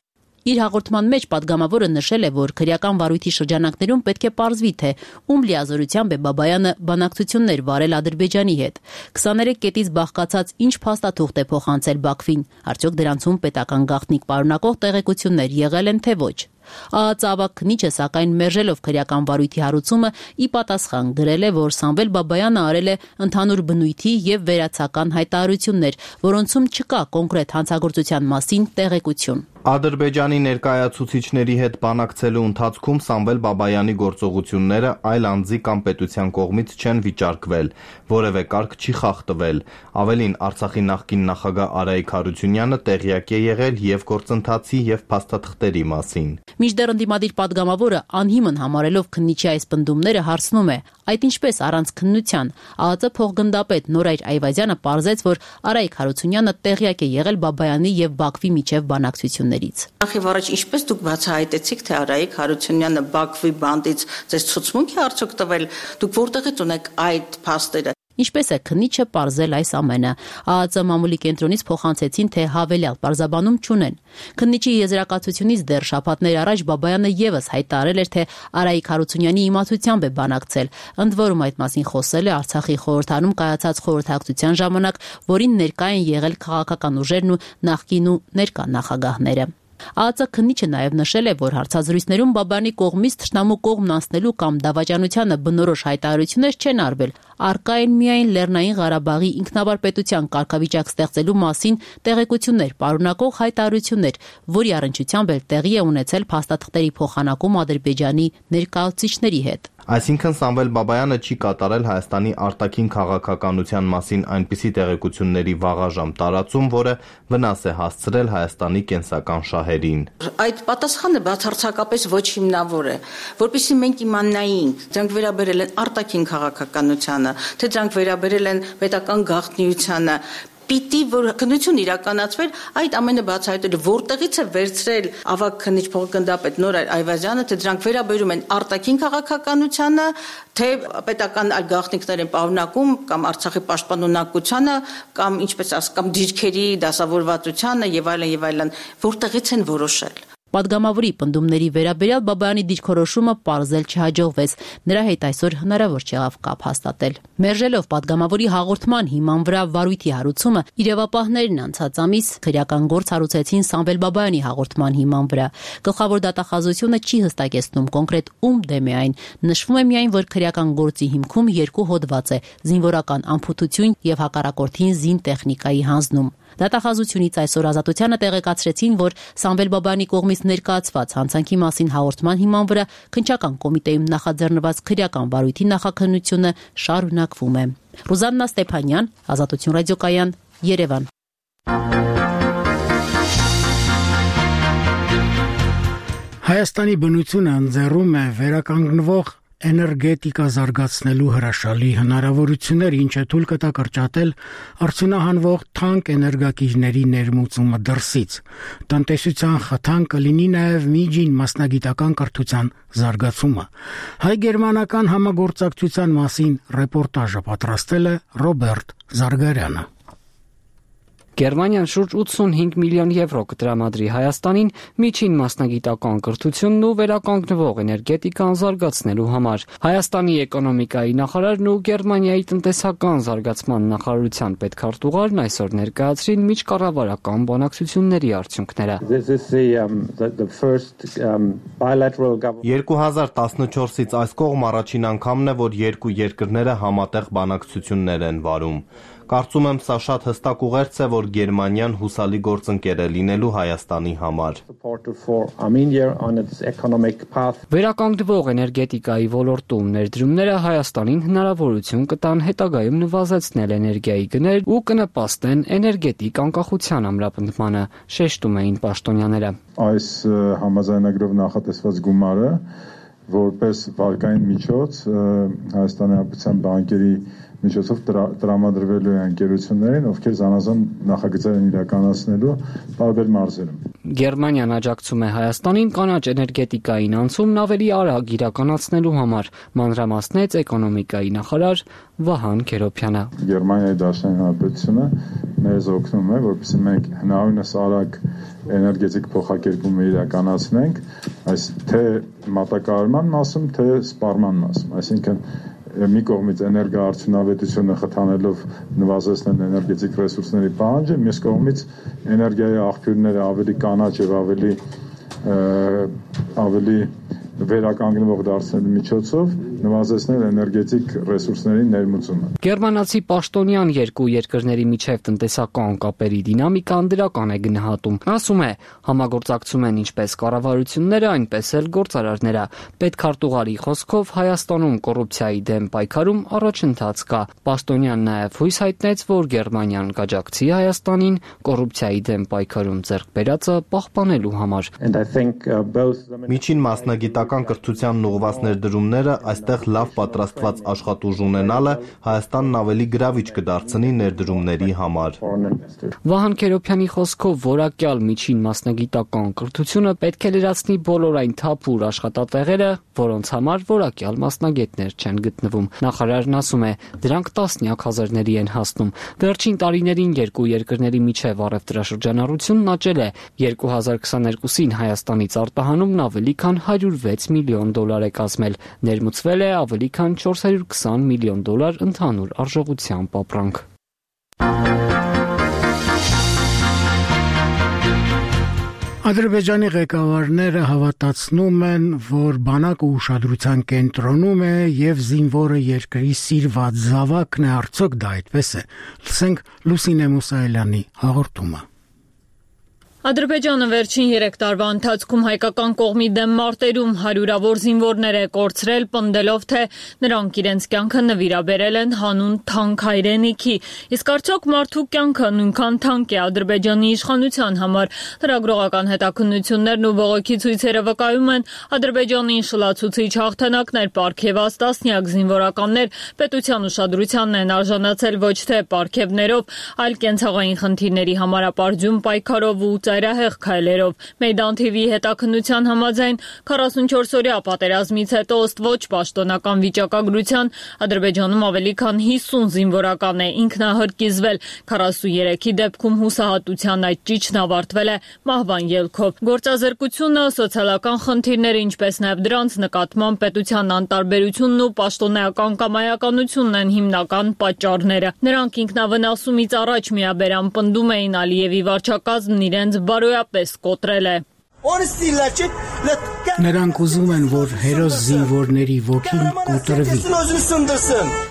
Իր հաղորդման մեջ падգամավորը նշել է, որ քրեական վարույթի շրջանակներում պետք է պարզվի, թե ում լիազորությամբ է Բաբայանը բանակցություններ վարել Ադրբեջանի հետ։ քսաներեք կետից բաղկացած ինչ փաստաթուղթ է փոխանցել Բաքվին, արդյոք դրանցում պետական գաղտնիք պարունակող տեղեկություններ եղել են թե ոչ։ Ահացավակ քննիչը սակայն մերժելով քրեական վարույթի հարուցումը ի պատասխան գրել է, որ Սամվել Բաբայանը արել է ընդհանուր բնույթի եւ վերացական հայտարարություններ, որոնցում չկա կոնկրետ հանցագործության մասին տեղեկություն։ Ադրբեջանի ներկայացուցիչների հետ բանակցելու ընթացքում Սամվել Բաբայանի գործողությունները այլ անձի կամ պետության կողմից չեն վիճարկվել, որևէ կարգ չի խախտվել։ Ավելին, Արցախի նախկին նախագահ Արայիկ Հարությունյանը տեղյակ է եղել եւ գործընթացի եւ փաստաթղթերի մասին։ Մինչդեռ ընդդիմադիր падգամավորը անհիմն համարելով քննիչի այս պնդումները հարցնում է. այդ ինչպես առանց քննության։ ԱԱԾ փոխգնդապետ Նորայր Այվազյանը պարզեց, որ Արայիկ Հարությունյանը տեղյակ է եղել Բաբայանի եւ Բաքվի միջև բանակցություններից։ Նախ եւ առաջ ինչպես դուք բացահայտեցիք, թե Արայիկ Հարությունյանը Բաքվի բանդից ձեզ ցուցմունք է արդյոք տվել, դուք որտեղից ունեք այդ փաստերը։ Ինչպես է քննիչը պարզել այս ամենը։ ԱԱԾ մամուլի կենտրոնից փոխանցեցին, թե հավելյալ պարզաբանում չունեն։ Քննիչի եզրակացությունից դեռ շաբաթներ առաջ Բաբայանը եւս հայտարարել էր, թե Արայիկ Հարությունյանի իմացությամբ է բանակցել։ Ընդ որում այդ մասին խոսել է Արցախի խորհրդարանում կայացած խորհրդակցության ժամանակ, որին ներկա են եղել քաղաքական ուժերն ու նախկին ու ներկա նախագահները։ ԱԱԾ քննիչը նաև նշել է, որ հարցազրույցներում Բաբայանի կողմից թշնամու կողմն անցնելու կամ դավաճանությանը բնորոշ հայտարարություններ չեն արվել։ Առկա են միայն Լեռնային Ղարաբաղի ինքնավար պետության կարգավիճակ ստեղծելու մասին տեղեկություններ պարունակող հայտարարություններ, որի առնչությամբ էլ տեղի է ունեցել փաստաթղթերի փոխանակում Ադրբեջանի ներկայացուցիչների հետ։ Այսինքն Սամվել Բաբայանը չի կատարել Հայաստանի արտաքին քաղաքականության մասին այնպիսի տեղեկությունների վաղաժամ տարածում, որը վնաս է հասցրել Հայաստանի կենսական շահերին։ Այդ պատասխանը բացարձակապես ոչ հիմնավոր է, որpիսի մենք իմանայինք, դրանք վերաբերել են արտաքին քաղաքականությանը, թե դրանք վերաբերել են պետական գաղտնիությանը, պիտի որ քննություն իրականացվեր այդ ամենը բացահայտել, որտեղից է վերցրել ավագ քննիչ փոխգնդապետ Նորայր Այվազյանը, թե դրանք վերաբերում են արտաքին քաղաքականությանը, թե պետական այլ գաղտնիքներ են պարունակում կամ Արցախի պաշտպանունակությանը, կամ ինչպես ասած, կամ դիրքերի դասավորվածությանը եւ այլն եւ այլն, որտեղից են որոշել։ Պատգամավորի պնդումների վերաբերյալ Բաբայանի դիրքորոշումը պարզել չհաջողվեց։ Նրա հետ այսօր հնարավոր չեղավ կապ հաստատել։ Մերժելով պատգամավորի հաղորդման հիման վրա վարույթի հարուցումը, իրավապահներն անցած ամիս քրեական գործ հարուցեցին Սամվել Բաբայանի հաղորդման հիման վրա։ Գլխավոր դատախազությունը չի հստակեցնում կոնկրետ ում դեմ է այն։ Նշվում է միայն, որ քրեական գործի հիմքում երկու հոդված է՝ զինվորական անփութություն եւ հակառակորդին զինտեխնիկայի հանձնում։ Դատախազությունից այսօր Ազատությանը տեղեկացրեցին, որ Սամվել Բաբայանի կողմից ներկայացված հանցանքի մասին հաղորդման հիման վրա քննչական կոմիտեում նախաձեռնված քրեական վարույթի նախաքննությունը շարունակվում է։ Ռուզաննա Ստեփանյան, Ազատություն ռադիոկայան, Երևան։ Հայաստանի բնությունը ընձեռում է վերականգնվող էներգետիկա զարգացնելու հրաշալի հնարավորություններ, ինչը թույլ կտա կրճատել արդյունահանվող թանկ էներգակիրների ներմուծումը դրսից։ Տնտեսության խթան կլինի նաև միջին մասնագիտական կրթության զարգացումը։ Հայ-գերմանական համագործակցության մասին ռեպորտաժը պատրաստել է Ռոբերտ Զարգարյանը։ Գերմանիան շուրջ ութսունհինգ միլիոն եվրո կտրամադրի Հայաստանին միջին մասնագիտական կրթությունն ու վերականգնվող էներգետիկան զարգացնելու համար։ Հայաստանի էկոնոմիկայի նախարարն ու Գերմանիայի տնտեսական զարգացման նախարարության պետքարտուղարն այսօր ներկայացրին միջկառավարական բանակցությունների արդյունքները։ երկու հազար տասնչորսից այս կողմ առաջին անգամն է, որ երկու երկրները համատեղ բանակցություններ են վարում։ Կարծում եմ, սա շատ հստակ ուղերձ է, որ Գերմանիան հուսալի գործընկեր է լինելու Հայաստանի համար։ Վերականգնվող էներգետիկայի ոլորտում ներդրումները Հայաստանին հնարավորություն կտան հետագայում նվազեցնել էներգիայի գներ ու կնպաստեն էներգետիկ անկախության ամրապնդմանը, շեշտում էին պաշտոնյաները։ Այս համաձայնագրով նախատեսված գումարը որպես վարկային միջոց Հայաստանի Հանրապետության բանկերի միջոցով տրամադրվելու է ընկերություններին, ովքեր զանազան նախագծեր են իրականացնելու տարբեր մարզերում։ Գերմանիան աջակցում է Հայաստանին կանաչ էներգետիկային անցումն ավելի արագ իրականացնելու համար, մանրամասնեց էկոնոմիկայի նախարար Վահան Քերոբյանը։ Գերմանիայի Դաշնային Հանրապետությունը մեզ օգնում է, որպեսզի մենք հնարավորինս արագ էներգետիկ փոխակերպում իրականացնենք, այս թե մատակարարման մասում, թե սպառման մասում, այսինքն մի կողմից էներգոարդյունավետությունը խթանելով նվազեցնել էներգետիկ ռեսուրսների պահանջը, մյուս կողմից էներգիայի աղբյուրները ավելի կանաչ եւ ավելի ավելի վերականգնվող դարձնելու միջոցով նվազեցնել էներգետիկ ռեսուրսների ներմուծումը։ Գերմանացի պաշտոնյան երկու երկրների միջև տնտեսական կապերի դինամիկան դրական է գնահատում։ Ասում է, համագործակցում են ինչպես կառավարությունները, այնպես էլ գործարարները։ Պետքարտուղարի խոսքով Հայաստանում կոռուպցիայի դեմ պայքարում առաջընթաց կա։ Պաշտոնյան նաև հույս հայտնեց, որ Գերմանիան կաջակցի Հայաստանին կոռուպցիայի դեմ պայքարում ձեռք բերածը պահպանելու համար։ Միջին մասնագիտական կրթությանն ուղղված ներդրումները այստեղ լավ պատրաստված աշխատուժ ունենալը Հայաստանն ավելի գրավիչ կդարձնի ներդրումների համար։ Վահան Քերոբյանի խոսքով որակյալ միջին մասնագիտական կրթությունը պետք է լրացնի բոլոր այն թափուր աշխատատեղերը, որոնց համար որակյալ մասնագետներ չեն գտնվում։ Նախարարն ասում է, դրանք տասնյակ հազարների են հասնում։ Վերջին տարիներին երկու երկրների միջև առևտրաշրջանառությունն աճել է։ երկու հազար քսաներկուսին Հայաստանից արտահանումն ավելի քան հարյուր վեց միլիոն դոլար է կազմել, ներմուծվել է ավելի քան չորս հարյուր քսան միլիոն դոլար ընդհանուր արժողությամբ ապրանք։ Ադրբեջանի ղեկավարները հավատացնում են, որ բանակը ուշադրության կենտրոնում է եւ զինվորը երկրի սիրված զավակն է, արդյոք դա այդպես է։ Լսենք Լուսինե Մուսայելյանի հաղորդումը։ Ադրբեջանը վերջին երեք տարվա ընթացքում հայկական կողմի դեմ մարտերում հարյուրավոր զինվորներ է կորցրել, պնդելով, թե նրանք իրենց կյանքը նվիրաբերել են հանուն թանկ հայրենիքի։ Իսկ արդյոք մարդու կյանքը նույնքան թանկ է Ադրբեջանի իշխանության համար։ Լրագրողական հետաքննություններն ու բողոքի ցույցերը վկայում են, Ադրբեջանին շլացուցիչ հաղթանակներ պարգևած տասնյակ զինվորականներ պետության ուշադրությանն են արժանացել ոչ թե պարգևներով, այլ կենցաղային խնդիրների համար ապարդյուն պայքարով ու ծայրահեղ քայլերով։ Մեյդան թի վի հետաքննության համաձայն քառասունչորսօրյա պատերազմից հետո ըստ ոչ պաշտոնական վիճակագրության Ադրբեջանում ավելի քան հիսուն զինվորական է ինքնահրկիզվել, քառասուներեքի դեպքում հուսահատության այդ ճիճն ավարտվել է մահվան ելքով։ Գործազրկությունը, սոցիալական խնդիրները, ինչպես նաև դրանց նկատմամբ պետության անտարբերությունն ու պաշտոնեական կամայականությունն են հիմնական պատճառները։ Նրանք ինքնավնասումից առաջ միաբերան պնդում էին Ալիևի վարչակազմն իրենց բարոյապես կոտրել է։ Նրանք ուզում են, որ հերոս զինվորների ոգին կոտրվի։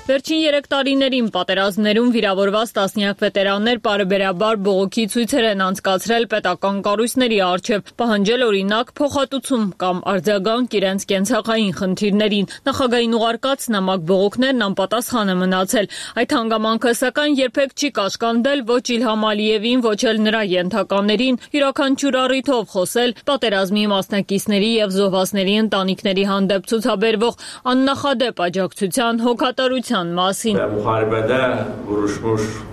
Վերջին երեք տարիներին պատերազմներում վիրավորված տասնյակ վետերաններ պարբերաբար բողոքի ցույցեր են անցկացրել պետական կառույցների առջև, պահանջել օրինակ փոխհատուցում կամ արձագանք իրենց կենցաղային խնդիրներին։ Նախագահային ուղարկած նամակ բողոքներն անպատասխան է մնացել։ Այդ հանգամանքը սակայն երբեք չի կաշկանդել ոչ Իլհամ Ալիևին, ոչ էլ նրա ենթականերին յուրաքանչյուր առիթով խոսել պատերազմի մասնակիցների եւ զոհվածների ընտանիքների հանդեպ ցուցաբերվող աննախադեպ աջակցության հոգատարության մասին։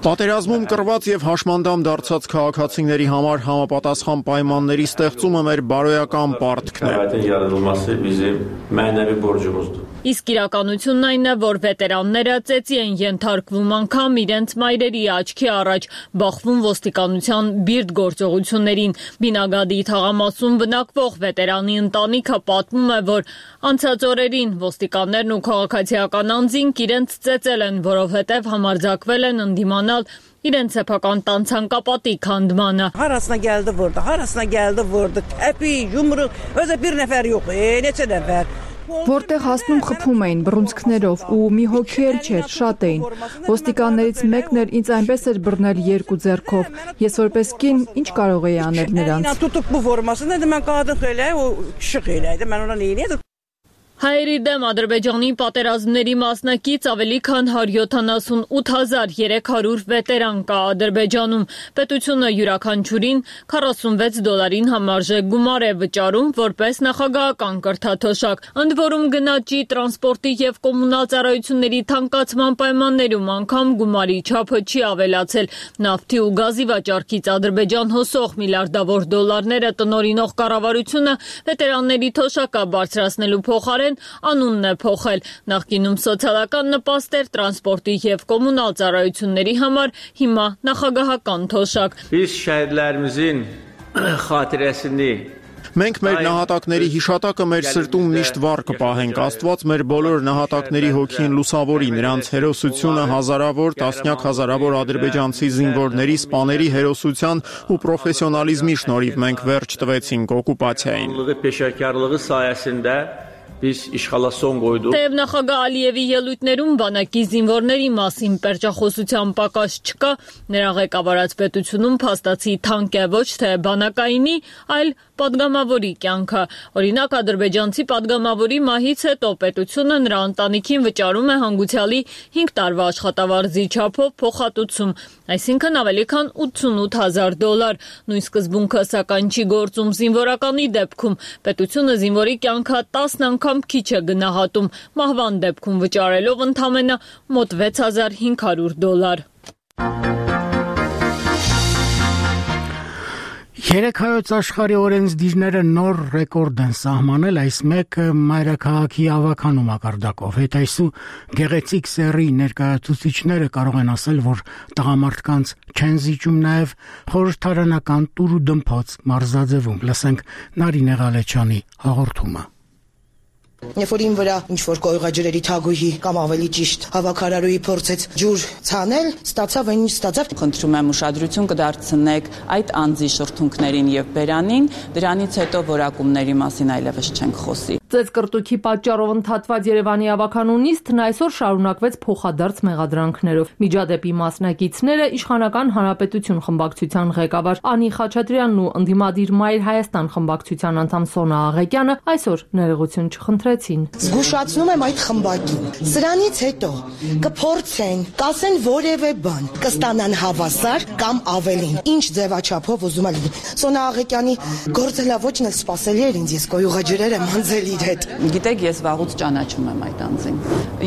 Պատերազմում կռված եւ հաշմանդամ դարձած քաղաքացիների համար համապատասխան պայմանների ստեղծումը մեր բարոյական պարտքն է։ Իսկ իրականությունն այն է, որ վետերանները ծեծի են ենթարկվում անգամ իրենց մայրերի աչքի առաջ, բախվում ոստիկանության բիրտ գործողություններին։ Բինագադի թաղամասում բնակվող վետերանի ընտանիքը պատմում է, որ անցած օրերին ոստիկաններն ու քաղաքացիական անձինք իրենց ծեծել են, որովհետև համարձակվել են ընդդիմանալ իրենց սեփական տան ցանկապատի քանդմանը։ Հարասına geldi vurdu, harasına geldi vurdu. Epi, yumruk, özə bir nəfər yox, e, neçə nəfər. Որտեղ հասնում խփում էին բռունցքներով ու մի հոգի էլ չէր, շատ էին։ Ոստիկաններից մեկն էլ ինձ այնպես էր բռնել երկու ձեռքով։ Ես որպես կին ինչ կարող էի անել նրանց։ Tutub bu formasını dedim mən qadın xeylə, o kişi xeylə idi. Mən ona nə edirdim? Հայերի դեմ Ադրբեջանի պատերազմների մասնակից ավելի քան հարյուր յոթանասունութ հազար երեք հարյուր վետերան կա Ադրբեջանում։ Պետությունը յուրաքանչյուրին քառասունվեց դոլարին համարժեք գումար է վճարում որպես նախագահական կրթաթոշակ։ Ընդ որում գնաճի, տրանսպորտի եւ կոմունալ ծառայությունների թանկացման պայմաններում անգամ գումարի չափը չի ավելացել։ Նավթի ու գազի վաճառքից Ադրբեջան հոսող միլիարդավոր դոլարները տնօրինող կառավարությունը վետերանների թոշակը բարձրացնելու փոխարեն անունն է փոխել։ Նախկինում սոցիալական նպաստ էր տրանսպորտի եւ կոմունալ ծառայությունների համար, հիմա նախագահական թոշակ։ Biz şəhidlərimizin xatirəsini Մենք մեր նահատակների հիշատակը մեր սրտում միշտ վառ կպահենք, Աստված մեր բոլոր նահատակների հոգին լուսավորի, նրանց հերոսությունը հազարավոր, տասնյակ հազարավոր ադրբեջանցի զինվորների, սպաների հերոսության ու պրոֆեսիոնալիզմի շնորհիվ մենք վերջ տվեցինք օկուպացիային։ Peşəkarlığı sayəsində biz işğala son qoyduq. Թեև նախագահ Ալիևի ելույթներում բանակի զինվորների մասին պերճախոսության պակաս չկա, նրա ղեկավարած պետությունում փաստացի թանկ է ոչ թե բանակայինի, այլ պատգամավորի կյանքը։ Օրինակ ադրբեջանցի պատգամավորի մահից հետո պետությունը նրա ընտանիքին վճարում է հանգուցյալի հինգ տարվա աշխատավարձի չափով փոխհատուցում, այսինքն ավելի քան ութսունութ հազար դոլար։ Նույն սկզբունքը սակայն չի գործում զինվորականի դեպքում։ Պետությունը զինվորի կյանքը տասն անգամ քիչ է գնահատում, մահվան դեպքում վճարելով ընդամենը մոտ վեց հազար հինգ հարյուր դոլար։ Երեք հայոց աշխարհի օրենսդիրները նոր ռեկորդ են սահմանել, այս մեկը մայրաքաղաքի ավականու մակարդակով։ Հետայսու գեղեցիկ սեռի ներկայացուցիչները կարող են ասել, որ տղամարդկանց չեն զիջում նաև խորհրդարանական տուր ու դմփոց մարզաձևում։ Լսենք Նարինե Ղալեչյանի հաղորդումը։ Երբ որ իմ վրա ինչ-որ կոյուղաջրերի թագուհի կամ ավելի ճիշտ հավաքարարուի փորձեց ջուր ցանել, ստացավ այն ինչ ստացավ։ Խնդրում եմ ուշադրություն կդարձնեք այդ անձի շրթունքներին եւ բերանին, դրանից հետո որակումների մասին այլևս չենք խոսի։ Ծեծկրտուքի պատճառով ընդհատված Երևանի ավականու նիստն այսօր շարունակվեց փոխադարձ մեղադրանքներով։ Միջադեպի մասնակիցները իշխանական հանրապետություն խմբակցության ղեկավար Անի Խաչատրյանն ու ընդդիմադիր Մայր Հայաստան խմբակցության անդամ Սոնա Աղեկյանը այսօր ներողություն չխնդրեցին։ Զգուշացնում եմ այդ խմբակին։ Սրանից հետո կփորձեն, կասեն որևէ բան, կստանան հավասար կամ ավելին։ Ինչ ձևաչափով ուզում են։ Սոնա Աղեկյանի գործելավոճն էլ սпасելի էր ինձ, ես կոյուղաջրերը մանձել իր հետ։ Գիտեք, ես վաղուց ճանաչում եմ այդ անձին։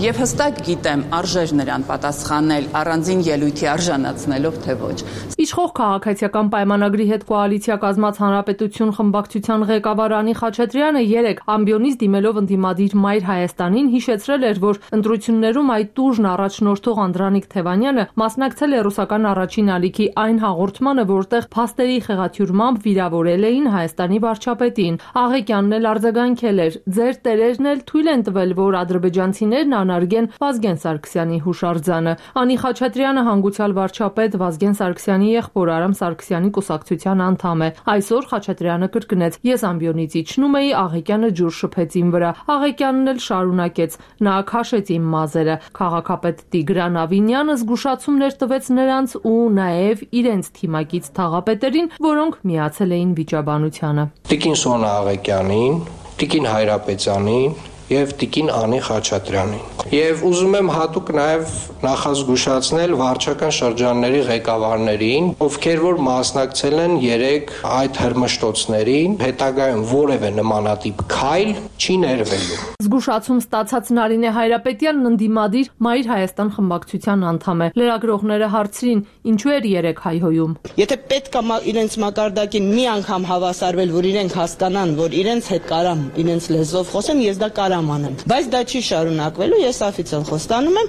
Եվ հստակ գիտեմ, արժեր նրան պատասխանել առանձին ելույթի արժանացնելով, թե ոչ։ Իշխող քաղաքացիական պայմանագրի հետ կոալիցիա կազմած հանրապետություն խմբակցության ղեկավար Անի Խաչատրյանը երեկ ամբիոնից դիմելով ընդդիմադիր Մայր Հայաստանին հիշեցրել էր, որ ընտրություններում այդ տուժն առաջնորդող Անդրանիկ Թևանյանը մասնակցել է ռուսական առաջին ալիքի այն հաղորդմանը, որտեղ փաստերի խեղաթյուրմամբ վիրավորել էին Հայաստանի վարչապետին։ Աղեկյանն էլ արձագանքել էր. «Ձեր տերերն էլ թույլ են տվել, որ ադրբեջանցիներն անարգեն Վազգեն Սարգսյանի հուշարձանը»։ Անի Խաչատրյանը հանգուցյալ վարչապետ Վազգեն Սարգսյանի եղբոր Արամ Սարգսյանի կուսակցության անդամ է։ Այսօր Խաչատրյանը կրկնեց. «Ես ամբիոնից իջնում էի, Աղեկյանը ջուր շփեց իմ վրա»։ Աղեկյանն էլ շարունակեց. «Նա քաշեց իմ մազերը»։ Քաղաքապետ Տիգրան Ավինյանը զգուշացումներ տվեց նրանց ու նաև իրենց թիմակից թաղապետերին, որոնք միացել էին վիճաբանությանը։ Տիկին Սոնա Աղեկյանին, Տիկին Հայրապետյանին եւ Տիկին Անի Խաչատրյանին։ Եվ ուզում եմ հատուկ նաեւ նախազգուշացնել վարչական շրջանների ղեկավարներին, ովքեր որ մասնակցել են երեք այդ հրմշտոցներին, հետագայում որևէ նմանատիպ քայլ չի ներվելու։ Զգուշացում ստացած Նարինե Հայրապետյանն ընդդիմադիր Մայր Հայաստան խմբակցության անդամ է։ Լրագրողները հարցրին, ինչու էր երեք հայհոյում։ Եթե պետք է իրենց մակարդակին մի անգամ հավասարվել, որ իրենք հասկանան, որ իրենց հետ կարամ իրենց լեզվով խոսեմ, ես դա կարամ հրամանեմ։ Բայց դա չի շարունակվելու, ես օֆիցիալ խոստանում եմ։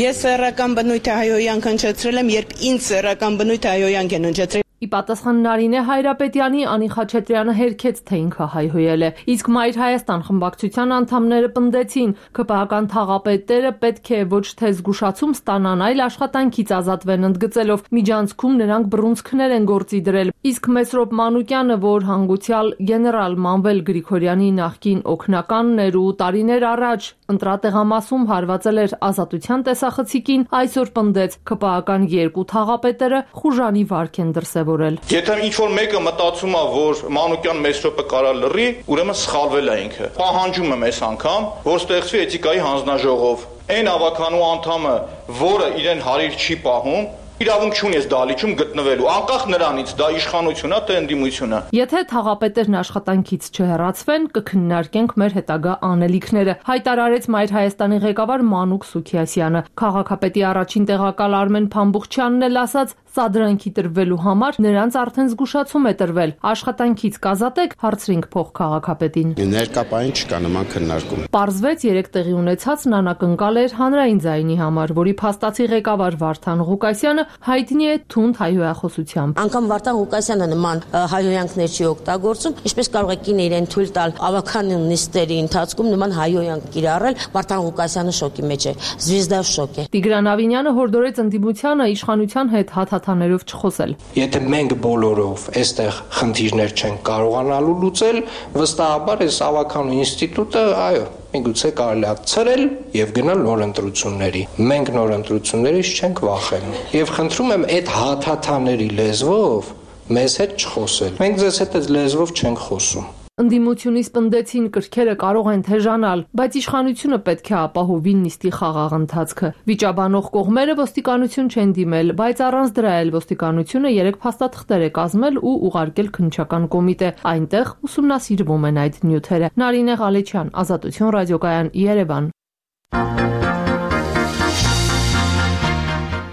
Ես սեռական բնույթը հայոյանք հնչեցրել եմ, երբ ինձ սեռական բնույթը հայոյանք են հնչեցրել։ Ի պատասխան Նարինե Հայրապետյանի Անի Խաչատրյանը հերքեց, թե ինքը հայհոյել է։ Իսկ Մայր Հայաստան խմբակցության անդամները պնդեցին, ԿՊԱ-ական թաղապետերը պետք է ոչ թե զգուշացում ստանան, այլ աշխատանքից ազատվեն, ընդգծելով միջանցքում նրանք բռունցքներ են գործի դրել։ Իսկ Մեսրոպ Մանուկյանը, որ հանգուցյալ գեներալ Մանվել Գրիգորյանի նախկին օգնականն էր ու տարիներ առաջ ընտրատեղամասում հարվածել էր Ազատության տեսախցիկին, այսօր պնդեց ԿՊԱ-ական երկու թաղապետերը խուժանի վարք են դրսևորել։ Եթե ինչ-որ մեկը մտածում է, որ Մանուկյան Մեսրոպը կարա լռի, ուրեմն սխալվել է ինքը։ Պահանջում եմ այս անգամ, որ ստեղծվի էթիկայի հանձնաժողով։ Այն ավականու անդամը, որը իրեն հարիր չի պահում, իրավունք չունի այս դահլիճում գտնվելու, անկախ նրանից դա իշխանություն է, թե ընդդիմություն է։ Եթե թաղապետերն աշխատանքից չհեռացվեն, կքննարկենք մեր հետագա անելիքները, հայտարարեց Մայր Հայաստանի ղեկավար Մանուկ Սուքիասյանը։ Քաղաքապետի առաջին տեղակալ Արմեն Փամբուխչյանն էլ ասաց, սադրանքի տրվելու համար նրանց արդեն զգուշացում է տրվել։ Աշխատանքից կազատեք, հարցրինք փոխքաղաքապետին։ Ներկապային չկա նման քննարկում։ Պարզվեց երեք տեղի ունեցածն անակնկալ էր հանրային ձայնի համար, որի փաստացի ղեկավար Վարդան Ղուկասյանը հայտնի է թունդ հայհոյախոսությամբ։ Անկամ Վարդան Ղուկասյանը նման հայհոյանքներ չի օգտագործում, ինչպես կարող է կինը իրեն թույլ տալ ավականին նիստերի ընթացքում նման հայհոյանք կիրառել։ Վարդան Ղուկասյանը շոկի մեջ է, Զվիզդա շոկ է։ Տիգրան Ավինյանը հորդորեց ընդդիմությանը իշխանության հետ հաթաթաներով չխոսել։ Եթե մենք բոլորով այստեղ խնդիրներ չենք կարողանալու լուծել, վստահաբար այս ավականու ինստիտուտը, այո, միգուցե կարելի է ցրել եւ գնալ նոր ընտրությունների։ Մենք նոր ընտրություններից չենք վախենում։ Եվ խնդրում եմ այդ հաթաթաների լեզվով մեզ հետ չխոսել։ Մենք ձեզ հետ այս լեզվով չենք խոսում։ Ընդդիմությունից պնդեցին կրքերը կարող են թեժանալ, բայց իշխանությունը պետք է ապահովի նիստի խաղաղ ընթացքը։ Վիճաբանող կողմերը ոստիկանություն չեն դիմել, բայց առանց դրա էլ ոստիկանությունը երեք փաստաթղթեր է կազմել ու ուղարկել քննչական կոմիտե։ Այնտեղ ուսումնասիրվում են այդ նյութերը։ Նարինե Ղալեչյան, Ազատություն ռադիոկայան, Երևան։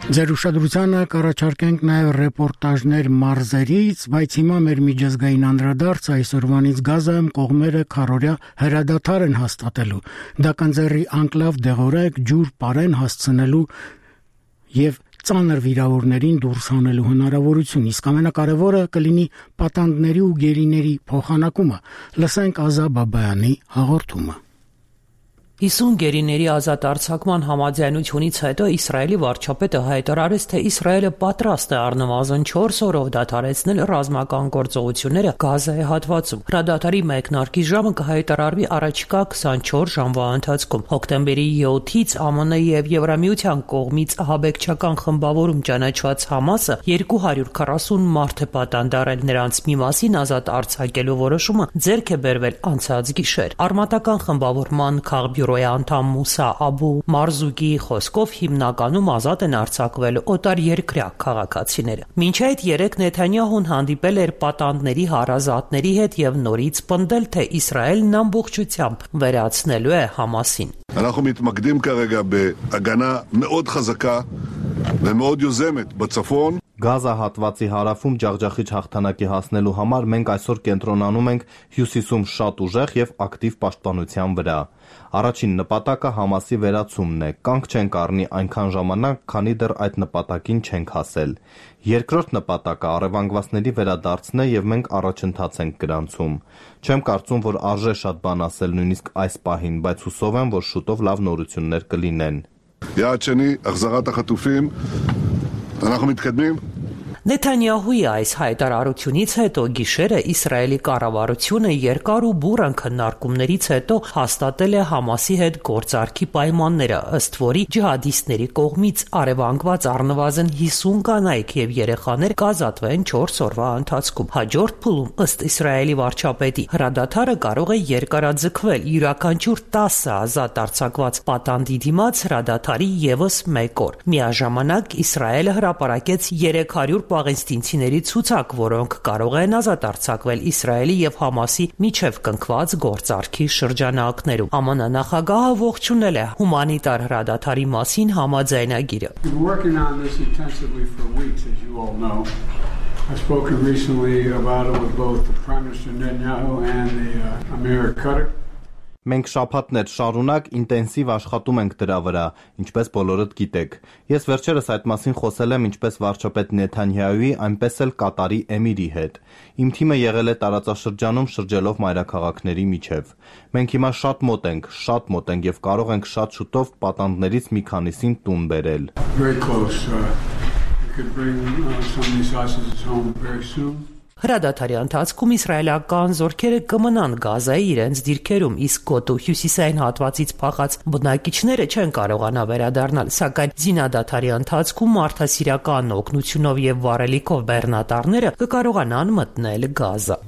Ձեր ուշադրությանը կառաջարկենք նաև ռեպորտաժներ մարզերից, բայց հիմա մեր միջազգային անդրադարձ այսօրվանից Գազայում կողմերը քառօրյա հրադադար են հաստատելու։ Դա կընձեռի անկլավ դեղորայք ջուր պարեն հասցնելու եւ ծանր վիրավորներին դուրս հանելու հնարավորություն, իսկ ամենակարևորը կլինի պատանդների ու գերիների փոխանակումը։ Լսենք Ազա Բաբայանի հաղորդումը։ հիսուն գերիների ազատ արձակման համաձայնությունից հետո Իսրայելի վարչապետը հայտարարեց, թե Իսրայելը պատրաստ է առնվազն չորս օրով դադարեցնել ռազմական գործողությունները Գազայի հատվածում։ Հրադադարի մեկնարկի ժամը կհայտարարվի առաջիկա քսանչորս ժամվա ընթացքում։ Հոկտեմբերի յոթից ԱՄՆ եւ Եվրամիության կողմից ահաբեկչական խմբավորում ճանաչված Համասը երկու հարյուր քառասուն մարդ է պատանդարել, նրանց մի մասին ազատ արձակելու որոշումը ձեռք է բերվել անցած գիշեր։ Արմատական խմբավորման քաղբյուրոյի անդամ Մուսա Աբու Մարզուկի խոսքով հիմնականում ազատ են արձակվել օտարերկրյա քաղաքացիները։ Մինչ այդ երեք Նեթանյահուն հանդիպել էր պատանդների հարազատների հետ եւ նորից պնդել, թե Իսրայելն ամբողջությամբ վերացնելու է Համասին։ אנחנו מתמקדים כרגע בהגנה מאוד חזקה ומאוד יוזמת בצפון. Գազա հատվածի հարավում ջախջախիչ հաղթանակի հասնելու համար մենք այսօր կենտրոնանում ենք հյուսիսում շատ ուժեղ եւ ակտիվ պաշտպանության վրա։ Առաջին նպատակը Համասի վերացումն է։ Կանգ չենք առնի այնքան ժամանակ, քանի դեռ այդ նպատակին չենք հասել։ Երկրորդ նպատակը առևանգվածների վերադարձն է եւ մենք առաջընթաց ենք գրանցում։ Չեմ կարծում, որ արժե շատ բան ասել նույնիսկ այս պահին, բայց հուսով եմ, որ շուտով լավ նորություններ կլինեն։ יעד שני, החזרת החטופים. אנחנו מתקדמים. Նեթանյահուի այս հայտարարությունից հետո գիշերը Իսրայելի կառավարությունը երկար ու բուռն քննարկումներից հետո հաստատել է Համասի հետ գործարքի պայմանները, ըստ որի ջիհադիստների կողմից առևանգված առնվազն հիսուն կանայք եւ երեխաներ կազատվեն չորս օրվա ընթացքում։ Հաջորդ փուլում, ըստ Իսրայելի վարչապետի, հրադադարը կարող է երկարաձգվել յուրաքանչյուր տասը ազատ արձակված պատանդի դիմաց հրադադարի եւս մեկ օր։ Միաժամանակ Իսրայելը հրապարակեց երեք հարյուր պաղեստինցիների ցուցակ, որոնք կարող են ազատ արձակվել Իսրայելի եւ Համասի միջև կնքված գործարքի շրջանակներում։ ԱՄՆ նախագահը ողջունել է հումանիտար հրադադարի մասին համաձայնագիրը։ I've spoken recently about it with both the Prime Minister Netanyahu and the uh, Amir Qatar. Մենք շաբաթներ շարունակ ինտենսիվ աշխատում ենք դրա վրա, ինչպես բոլորդ գիտեք։ Ես վերջերս այդ մասին խոսել եմ ինչպես վարչապետ Նեթանյահուի, այնպես էլ Կատարի էմիրի հետ։ Իմ թիմը եղել է տարածաշրջանում շրջելով մայրաքաղաքների միջև։ Մենք հիմա շատ մոտ ենք, շատ մոտ ենք եւ կարող ենք շատ շուտով պատանդներից մի քանիսին տուն բերել։ Հրադադարի ընթացքում իսրայելական զորքերը կմնան Գազայի իրենց դիրքերում, իսկ գոտու հյուսիսային հատվածից փախած բնակիչները չեն կարողանա վերադառնալ, սակայն զինադադարի ընթացքում մարդասիրական օգնությունով եւ վառելիքով բեռնատարները կկարողանան մտնել Գազա։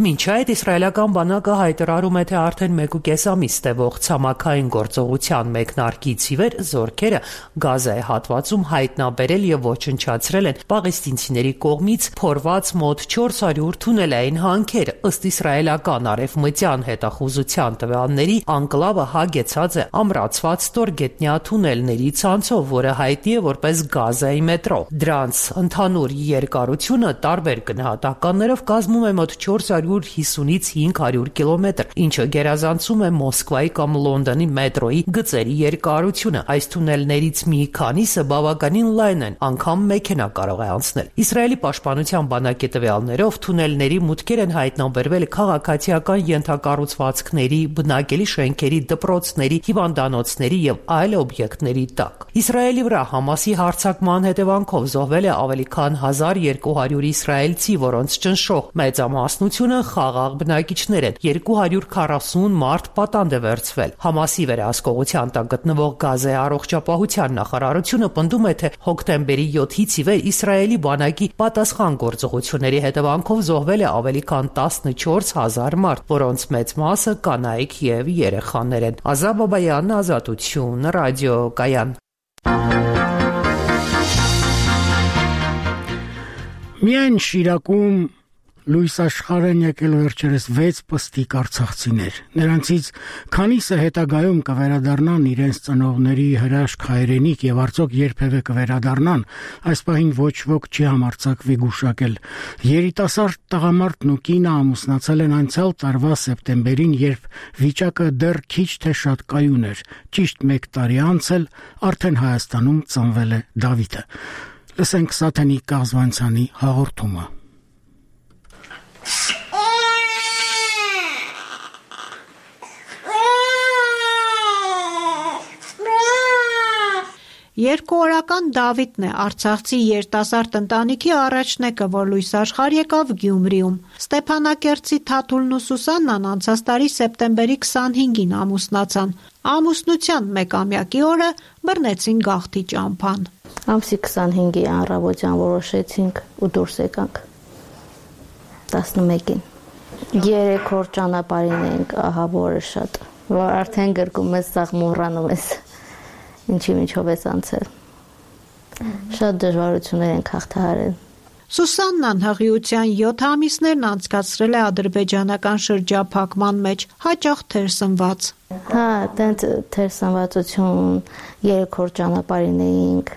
Մինչ այդ իսրայելական բանակը հայտարարում է, թե արդեն մեկուկես ամիս տևող ցամաքային գործողության մեկնարկից ի վեր զորքերը Գազայի հատվածում հայտնաբերել եւ ոչնչացրել են պաղեստինցիների կողմից փորված մոտ չորս հարյուր թունելային հանքեր, ըստ իսրայելական արևմտյան հետախուզության տվյալների անկլավը հագեցած է ամրացված ստորգետնյա թունելների ցանցով, որը հայտնի է որպես Գազայի մետրո։ Դրանց ընդհանուր երկարությունը տարբեր գնահատականներով կազմում է մոտ չորս հարյուր հիսունից հինգ հարյուր կիլոմետր, ինչը գերազանցում է Մոսկվայի կամ Լոնդոնի մետրոյի գծերի երկարությունը։ Այս թունելներից մի քանիսը բավականին լայն են, անգամ մեքենա կարող է անցնել։ Իսրայելի պաշտպանության բանակի տվյալներով թունելների մուտքեր են հայտնաբերվել քաղաքացիական ենթակառուցվածքների, բնակելի շենքերի, դպրոցների, հիվանդանոցների եւ այլ օբյեկտների տակ։ Իսրայելի վրա Համասի հարձակման հետևանքով զոհվել է ավելի քան հազար երկու հարյուր իսրայելցի, որոնց ճնշող մեծամասնությունը խաղաղ բնակիչներ են, երկու հարյուր քառասուն մարդ պատանդ է վերցվել։ Համասի վերահսկողության տակ գտնվող Գազայի առողջապահության նախարարությունը պնդում է, թե հոկտեմբերի յոթից ի վեր Իսրայելի բանակի պատասխան գործողությունների հետևանքով զոհվել է ավելի քան տասնչորս հազար մարդ, որոնց մեծ մասը կանայք եւ երեխաներ են։ Ազա Բաբայան, Ազատություն, ռադիոկայան։ Միայն Շիրակում լույս աշխարհ են եկել վերջերս վեց պստիկ արցախցիներ։ Նրանցից քանիսը հետագայում կվերադառնան իրենց ծնողների հրաշք հայրենիք եւ արդյոք երբևէ կվերադառնան, այս պահին ոչ ոք չի համարձակվի գուշակել։ Երիտասարդ տղամարդն ու կինը ամուսնացել են անցյալ տարվա սեպտեմբերին, երբ վիճակը դեռ քիչ թե շատ կայուն էր։ Ճիշտ մեկ տարի անց էլ արդեն Հայաստանում ծնվել է Դավիթը։ Լսենք Սաթենի Կազվանցյանի հաղորդումը։ Երկուօրական Դավիթն է արցախցի երիտասարդ ընտանիքի առաջնեկը, որ լույս աշխարհ եկավ Գյումրիում։ Ստեփանակերտցի Թաթուլն ու Սուսաննան անցած տարի սեպտեմբերի քսանհինգին ամուսնացան։ Ամուսնության մեկամյակի օրը բռնեցին գաղթի ճամփան։ Ամսի քսանհինգի առավոտյան որոշեցինք ու դուրս եկանք։ տասնմեկին երեք օր ճանապարհին ենք, ահա որը շատ, որ արդեն գրկում ես, սաղ մոռանում ես ինչի միջով ես անցել։ Շատ դժվարություններ ենք հաղթահարել։ Սուսաննան հղիության յոթ ամիսներն անցկացրել է ադրբեջանական շրջափակման մեջ, հաճախ թերսնված։ Հա, տենց թերսնվածություն, երեք օր ճանապարհին էինք,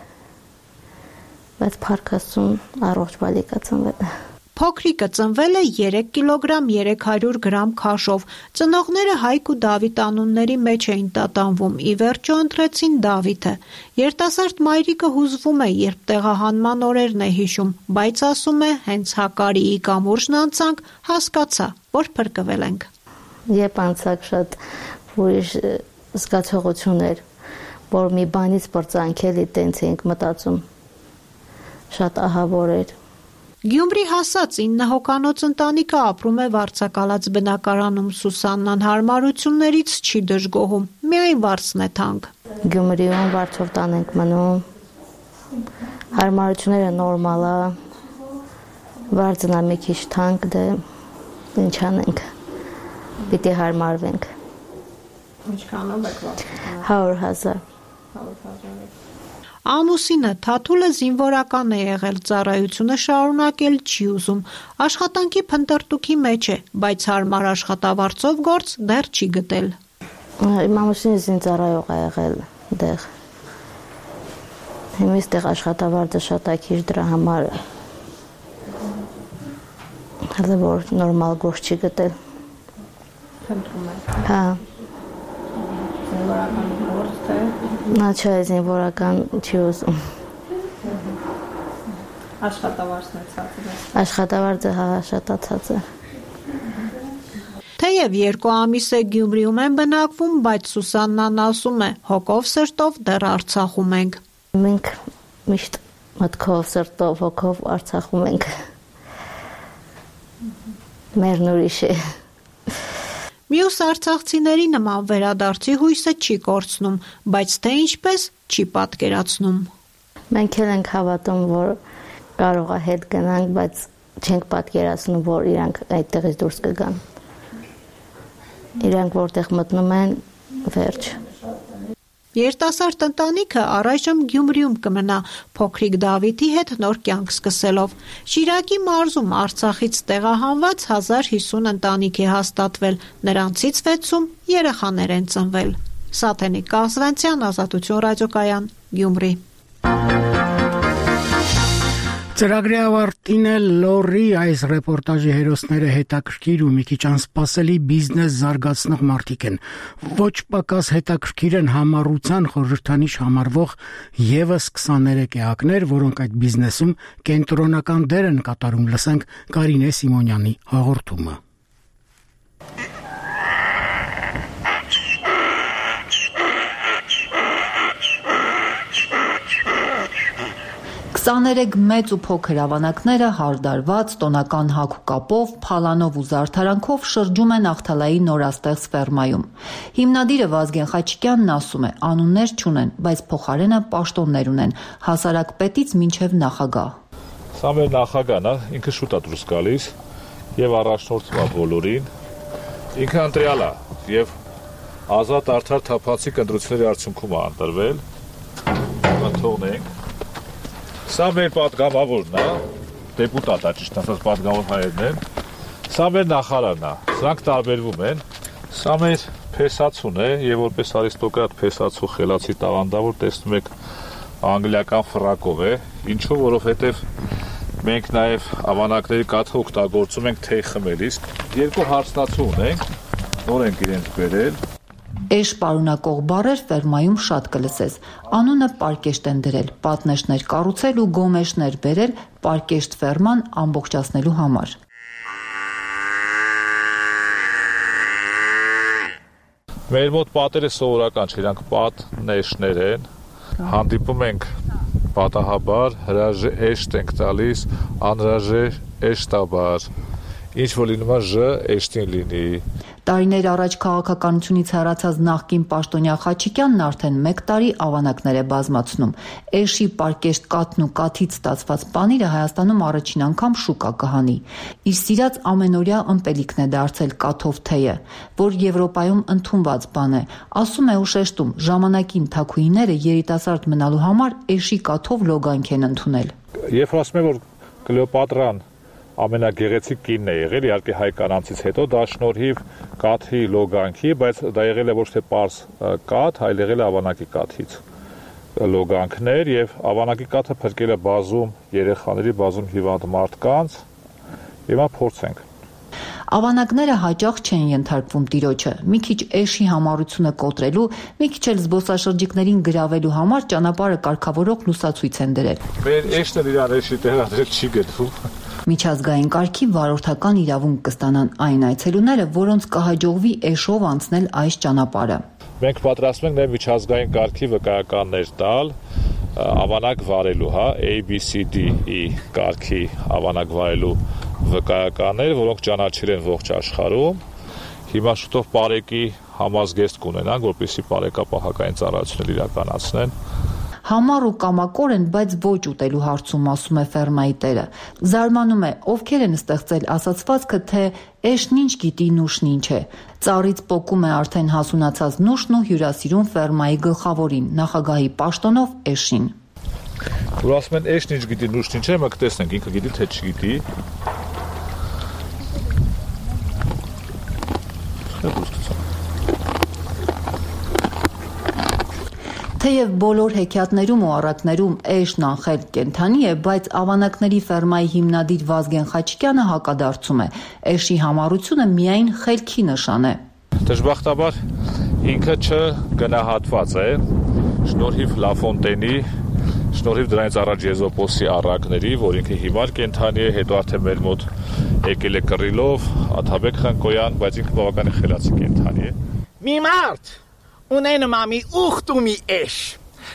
բայց փառքաստուն առողջ բալիկա ծնվել։ Փոքրիկը ծնվել է երեք կիլոգրամ երեք հարյուր գրամ քաշով։ Ծնողները Հայկ ու Դավիթ անունների մեջ էին տատանվում, ի վերջո ընտրեցին Դավիթը։ Երիտասարդ մայրիկը հուզվում է, երբ տեղահանման օրերն է հիշում, բայց ասում է, հենց Հակարիի կամուրջն անցանք, հասկացա, որ փրկվել ենք։ Երբ անցակ շատ ուրիշ զգացողություն էր, որ մի բանից բրծանքելի տենց էինք մտածում, շատ ահավոր էր։ Գյումրի հասած ինը հոկանոց ընտանիքը ապրում է վարձակալած բնակարանում։ Սուսաննան հարմարություններից չի դժգոհում, միայն վարձն է թանկ։ Գյումրիում վարձով տան ենք մնում, հարմարությունները նորմալ է, վարձն է մի քիչ թանկ, դե ինչ անենք, պիտի հարմարվենք։ Ինչքանով եք վարձում։ հարյուր հազար։ Ամուսինը Թաթուլը զինվորական է եղել, ծառայությունը շարունակել չի ուզում, աշխատանքի փնտրտուքի մեջ է, բայց հարմար աշխատավարձով գործ դեռ չի գտել։ Իմ ամուսինը զինծառայող է եղել դեղ, Հիմա այստեղ աշխատավարձը շատ է քիչ դրա համար հələ որ նորմալ գործ չի գտել։ Փնտրում եք։ Հա։ Զինվորական գործ թե։ Նա չէ, զինվորական չի ուզում։ Աշխատավարձն է ցածր։ Աշխատավարձը հա շատացած է։ Թեև երկու ամիս է Գյումրիում են բնակվում, բայց Սուսաննան ասում է, հոգով սրտով դեռ Արցախում ենք։ Մենք միշտ մտքով, սրտով, հոգով Արցախում ենք։ Մերն ուրիշ է։ Մյուս արցախցիների նման վերադարձի հույսը չի կորցնում, բայց թե ինչպես չի պատկերացնում։ Մենք էլ ենք հավատում, որ կարող է հետ գնանք, բայց չենք պատկերացնում, որ իրանք այդտեղից դուրս կգան։ Իրանք որտեղ մտնում են, վերջ։ Երիտասարդ ընտանիքը առայժմ Գյումրիում կմնա, փոքրիկ Դավիթի հետ նոր կյանք սկսելով։ Շիրակի մարզում Արցախից տեղահանված հազար հիսուն ընտանիք է հաստատվել, նրանցից վեցում երեխաներ են ծնվել։ Սաթենիկ Կազվենցյան, Ազատություն ռադիոկայան, Գյումրի։ Ծրագրի ավարտին էլ Լորի այս ռեպորտաժի հերոսները հետաքրքիր ու մի քիչ անսպասելի բիզնես զարգացնող մարդիկ են։ Ոչ պակաս հետաքրքիր են համառության խորհրդանիշ համարվող եւս քսաներեք էակներ, որոնք այդ բիզնեսում կենտրոնական դեր են կատարում։ Լսենք Կարինե Սիմոնյանի հաղորդումը։ քսաներեք մեծ ու փոքր ավանակները հարդարված, տոնական հագ ու կապով, փալանով ու զարդարանքով շրջում են Ախթալայի նորաստեղծ ֆերմայում։ Հիմնադիրը Վազգեն Խաչիկյանն ասում է, անուններ չունեն, բայց փոխարենը պաշտոններ ունեն, հասարակ պետից մինչև նախագահ։ Սա մեր նախագահն է, ինքը շուտ է դուրս գալիս եւ առաջնորդում է բոլորին։ Ինքը ընտրյալ է եւ ազատ արդար թափանցիկ ընտրությունների արդյունքում է ընտրվել։ Թողնենք։ Սա մեր պատգամավորն է, դեպուտատ է, ճիշտ ասած պատգամավոր հայերն են։ Սա մեր նախարարն է, սրանք տարբերվում են։ Սա մեր փեսացուն է եւ որպես արիստոկրատ փեսացու խելացի տաղանդավոր տեսնում եք անգլիական ֆրակով է, ինչու որովհետեւ մենք նաեւ ավանակների կաթը օգտագործում ենք թեյ խմելիս։ Երկու հարսնացու ունենք, նոր ենք իրենց բերել։ Էշ պարունակող բառեր ֆերմայում շատ կլսես։ Անունը պարկեշտ են դրել, պատնեշներ կառուցել ու գոմեշներ բերել պարկեշտ ֆերման ամբողջացնելու համար։ Մեր մոտ պատերը սովորական չէ, իրանք պատնեշներ են։ Հանդիպում ենք պատահաբար, հրաժե էշտ ենք տալիս, անհրաժե էշտաբար։ Ինչ որ լինում է ժ էշտին լինի։ Տարիներ առաջ քաղաքականությունից հեռացած նախկին պաշտոնյա Խաչիկյանն արդեն մեկ տարի ավանակներ է բազմացնում։ Էշի պարկեշտ կաթն ու կաթից ստացված պանիրը Հայաստանում առաջին անգամ շուկա կհանի։ Իր սիրած ամենօրյա ըմպելիքն է դարձել կաթով թեյը, որ Եվրոպայում ընդունված բան է։ Ասում է ու շեշտում, ժամանակին թաքուիները երիտասարդ մնալու համար էշի կաթով լոգանք են ընդունել։ Երբ ասում եմ, որ Կլեոպատրան ամենագեղեցիկ կինն է եղել, իհարկե հայ կանանցից հետո դա շնորհիվ կաթի լոգանքի, բայց դա եղել է ոչ թե պարզ կաթ, այլ եղել է ավանակի կաթից լոգանքներ եւ ավանակի կաթը փրկել է բազում երեխաների, բազում հիվանդ մարդկանց։ Հիմա փորձենք։ Ավանակները հաճախ չեն ենթարկվում տիրոջը։ Մի քիչ էշի համառությունը կոտրելու, մի քիչ էլ զբոսաշրջիկներին գրավելու համար ճանապարհը կարգավորող լուսացույց են դրել։ Մեր էշտը իրար էշի տեղադրել չի գտվում։ Միջազգային կարգի վարորդական իրավունք կստանան այն այցելուները, որոնց կհաջողվի էշով անցնել այս ճանապարհը։ Մենք պատրաստվում ենք նաև միջազգային կարգի վկայականներ տալ ավանակ վարելու, հա, A B C D E կարգի ավանակ վարելու վկայականներ, որոնք ճանաչել են ողջ աշխարհում։ Հիմա շուտով բարեկի համազգեստ կունենան, որպեսզի բարեկապահական ծառայություններ իրականացնեն։ Համառ ու կամակոր են, բայց ոչ ուտելու հարցում, ասում է ֆերմայի տերը։ Զարմանում է, ովքեր են ստեղծել ասացվածքը, թե էշն ինչ գիտի, նուշն ինչ է։ Ծառից պոկում է արդեն հասունացած նուշն ու հյուրասիրում ֆերմայի գլխավորին, նախագահի պաշտոնով էշին։ Որ ասում են էշն ինչ գիտի, նուշն ինչ է, մենք տեսնենք, ինքը գիտի, թե չգիտի։ Թեև բոլոր հեքիաթներում ու առակներում էշն անխել կենդանի է, բայց ավանակների ֆերմայի հիմնադիր Վազգեն Խաչիկյանը հակադարձում է. էշի համառությունը միայն խելքի նշան է։ Դժբախտաբար ինքը չգնահատված է շնորհիվ Լաֆոնտենի, շնորհիվ դրանից առաջ Եզոպոսի առակների, որ ինքը հիմար կենդանի է, հետո արդեն մեր մոտ եկել է Կռիլով, Աթաբեկ Խնկոյան, բայց ինքը բավականին խելացի կենդանի է։ Մի մարդ ունենում է մի ուխտ ու մի էշ։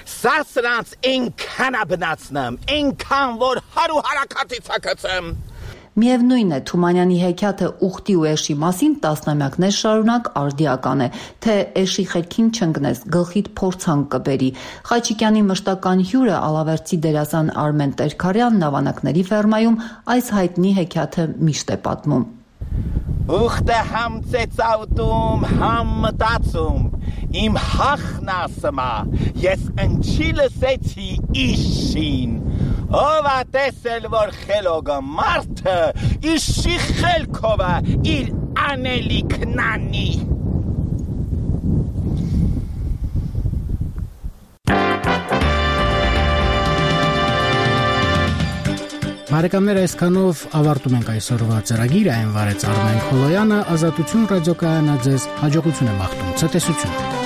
Սա սրանց այնքան է բնացնում, այնքան որ հարու հարակատից հակացեմ։ Միևնույն է, Թումանյանի հեքիաթը ուխտի ու էշի մասին տասնամյակներ շարունակ արդիական է, թե էշի խելքին չընկնես, գլխիդ փորձանք կբերի։ Խաչիկյանի մշտական հյուրը ալավերցի դերասան Արմեն Տերքարյանն ավանակների ֆերմայում այս հայտնի հեքիաթը միշտ է պատմում։ Ուխտը համ ծեծաուտում, համ մտածում, իմ հախն ասմա, ես ընչի լսեցի իշին, ով ա տեսել, որ խելոգը մարդը իշի խելքով է իր անելիքն անի։ Բարեկամներ, այսքանով ավարտում ենք այսօրվա ծրագիրը, այն վարեց Արմեն Քոլոյանը, Ազատություն ռադիոկայանը ձեզ հաջողություն է մաղթում, ցտեսություն։